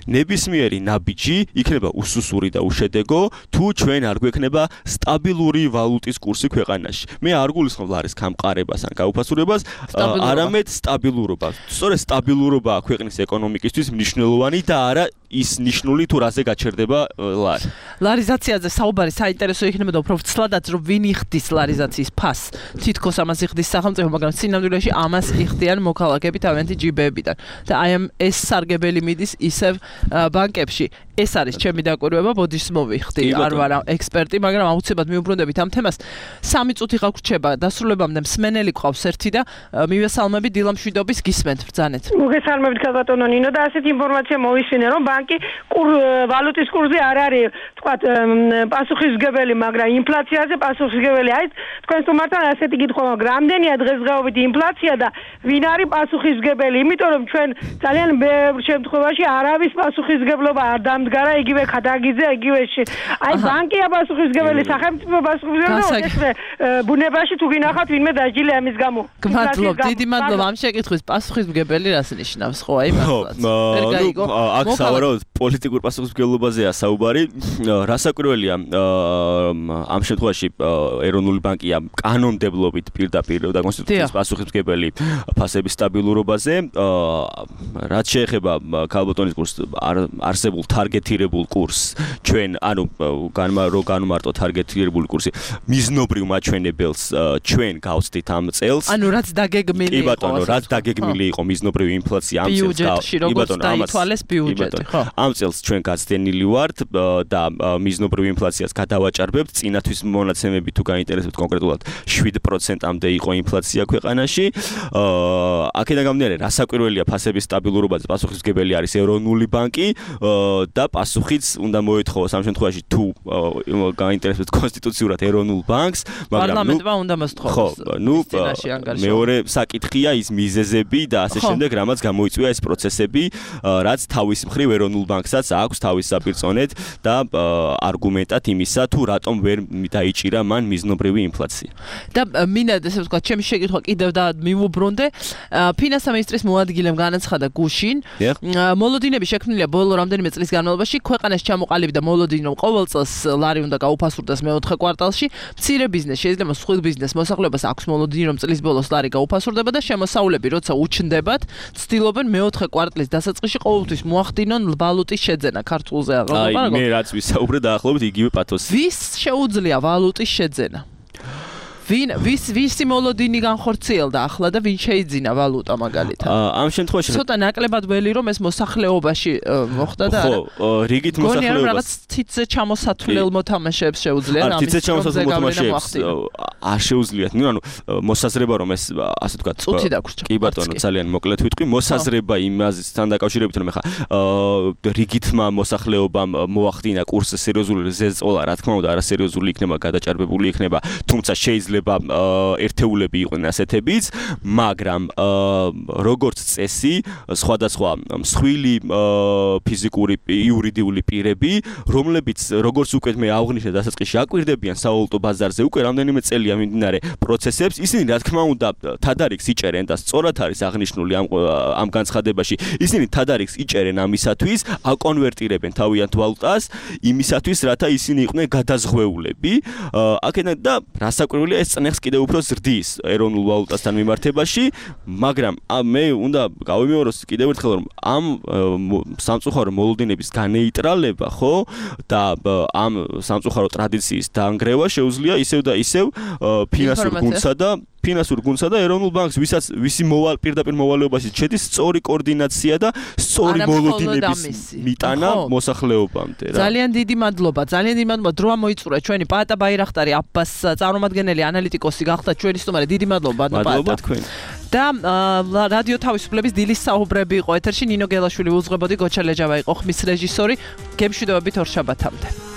ნებისმიერი ნაბიჯი იქნება უსუსური და უშედეგო, თუ ჩვენ არ გვექნება სტაბილური ვალუტის კურსი ქვეყანაში. მე არ გულისხმობ ლარის გამყარებას ან გაუფასურებას, არამედ სტაბილურობა. სწორედ სტაბილურობა ქვეყნის ეკონომიკისთვის მნიშვნელოვანი და არა ის ნიშნული თუ რაზე გაჩერდება ლარი. ლარიზაციაზე საუბარი საინტერესო იქნებოდა უფრო ვცლადაც რომ ვინ იხდის ლარიზაციის ფასს. თითქოს ამას იხდის სახელმწიფო, მაგრამ სინამდვილეში ამას იხდიან მოქალაქეები თავიანთი ჯიბეებიდან. და აი ეს სარგებელი მიდის ისევ ბანკებში. ეს არის ჩემი დაკვირვება, ბოდიშს მოვიხდი. არ ვარ ექსპერტი, მაგრამ აუცილებლად მიუბრუნდებით ამ თემას. 3 წუთი გაგვრჩება დასრულებამდე, მსმენელი ყავს ერთი და მივესალმები დილა მშვიდობის გისმენთ ბრძანეთ. მოგესალმებით ქალბატონო ნინო და ასეთ ინფორმაცია მოვისმინე, რომ ბანკი ვალუტის კურსზე არ არის, თქვათ, პასუხისმგებელი, მაგრამ ინფლაციაზე პასუხისმგებელი. აი, თქვენ თუმართან ასეთი კითხვა, რამდენია დღესდღეობით ინფლაცია და ვინ არის პასუხისმგებელი? იმიტომ რომ ჩვენ ძალიან ბევრ შემთხვევაში არავის პასუხისმგებლობა არ დამდგარა, იგივე ქადაგიძე, იგივე აი ბანკია პასუხისმგებელი, სახელმწიფო პასუხისმგებელი, ეს ბუნებაში თუ გინახავთ ვინმე დაჯილი ამის გამო. გმადლობ, დიდი მადლობა ამ შეკითხვის. პასუხისმგებელი რას ნიშნავს, ხო, აი მართლაც. აქ სავარაუდოდ პოლიტიკურ პასუხისმგებლობაზეა საუბარი. რასაკვირველია, ამ შემთხვევაში ეროვნული ბანკია კანონმდებლობით პირდაპირ და კონსტიტუციის პასუხისმგებელი ფასების სტაბილურობაზე. რაც შეეხება ქალბატონის კურსს არსებულ თარგეტირებულ კურსს ჩვენ ანუ განმარტო თარგეტირებული კურსი მიზნობრივ მაჩვენებელს ჩვენ გავცდით ამ წელს ანუ რაც დაგეგმილი იყო კი ბატონო რაც დაგეგმილი იყო მიზნობრივი ინფლაცია ამ წელს კი ბატონო დაითვალეს ბიუჯეტი ხო ამ წელს ჩვენ გაცდენილი ვართ და მიზნობრივ ინფლაციას გადავაჭარბებთ წინათვის მონაცემები თუ გაინტერესებთ კონკრეტულად 7%-ამდე იყო ინფლაცია ქვეყანაში აქედან გამომდინარე რასაკვირველია ფასების სტაბილურობაზე პასუხისმგებელი არის ეროვნული ბანკი და პასუხიც უნდა მოეთხოვოს ამ შემთხვევაში თუ გაინტერესებთ კონსტიტუციურად ეროვნულ ბანკს მაგრამ პარლამენტმა უნდა მოსთხოვოს მეორე საკითხია ის მიზეზები და ასე შემდეგ რამაც გამოიწვია ეს პროცესები რაც თავის მხრივ ეროვნულ ბანკსაც აქვს თავის საპირწონედ და არგუმენტად იმისა თუ რატომ ვერ დაიჭირა მან მიზნობრივი ინფლაცია და მინდა ესე ვთქვა ჩემი შეკითხვა კიდევ და მივუბრუნდე ფინანსთა მინისტრის მოადგილემ განაცხადა გუშინ მოლოდინები შექმნილია ბოლო რამდენიმე წლის განმავლობაში ქვეყანაში ჩამოყალიბდა მოლოდინი რომ ყოველ წელს ლარი უნდა გაუფასურდეს მეოთხე კვარტალში მცირე ბიზნეს შეიძლება სხვილ ბიზნეს მოსახლეობას აქვს მოლოდინი რომ წლის ბოლოს ლარი გაუფასურდება და შემოსავლები როცა უჩნდებათ ცდილობენ მეოთხე კვარტლის დასაწყისში ყოველთვის მოახდინონ ვალუტის შეძენა ქართულზე აი მე რაც ვისაუბრე დაახლოებით იგივე პათოსი ვის შეუძლია ვალუტის შეძენა ვისი მოლოდინი განხორციელდა ახლა და ვინ შეიძინა ვალუტა მაგალითად ამ შემთხვევაში ცოტა ნაკლებად ველი რომ ეს მოსახლეობაში მოხდა და ხო რიგით მოსახლეობას რაღაც თითზე ჩამოსათვლელ მოთამაშეებს შეუძლია რა თითზე ჩამოსათვლელ მოთამაშეებს არ შეუძლიათ ნუ ანუ მოსაზრება რომ ეს ასე ვთქვათ წუთი დაგვრჩა კი ბატონო ძალიან მოკლედ ვიტყვი მოსაზრება იმასთან დაკავშირებით რომ ეხა რიგითმა მოსახლეობამ მოახდინა კურსზე სერიოზული ზეწოლა რა თქმა უნდა არასერიოზული იქნება გადაჭარბებული იქნება თუმცა შეიძლება ერთეულები იყვნენ ასეთებიც, მაგრამ როგორც წესი, სხვადასხვა მსხვილი ფიზიკური იურიდიული პირები, რომლებიც როგორც უკვე მე აღვნიშნე დასაწყისში აკვირდებიან სავალუტო ბაზარზე უკვე რამდენიმე წელია მიმდინარე პროცესებს, ისინი რა თქმა უნდა თადარიგს იჭერენ და სწორად არის აღნიშნული ამ განცხადებაში, ისინი თადარიგს იჭერენ ამისათვის, აკონვერტირებენ თავიანთ ვალუტას იმისათვის, რათა ისინი იყვნენ გადაზღვეულები. აქედან და რასაკვირველია ეს წნეხს კიდევ უფრო ზრდის ეროვნულ ვალუტასთან მიმართებაში, მაგრამ მე უნდა გავიმეოროს კიდევ ერთხელ რომ ამ სამწუხარო მოლოდინების განეიტრალება, ხო, და ამ სამწუხარო ტრადიციის დაანგრევა შეუძლია ისევ და ისევ ფინანსურ გუნდსა და ეროვნულ ბანკს, ვისი პირდაპირ მოვალეობაში შედის სწორი კოორდინაცია და სწორი მოლოდინების მიტანა მოსახლეობამდე რა. ძალიან დიდი მადლობა, დროა მოიწურა ჩვენი პაატა ბაირახტარი აბას წარმომადგენელი ანალიტიკოსი გახდა ჩვენი სტუმარი. დიდი მადლობა მადლობა თქვენ. და რადიო თავისუფლების დილის საუბრები იყო ეთერში, ნინო გელაშვილი უძღვებოდი, გოჩა ლეჯავა იყო ხმის რეჟისორი. გემშვიდობებით ორ შაბათამდე.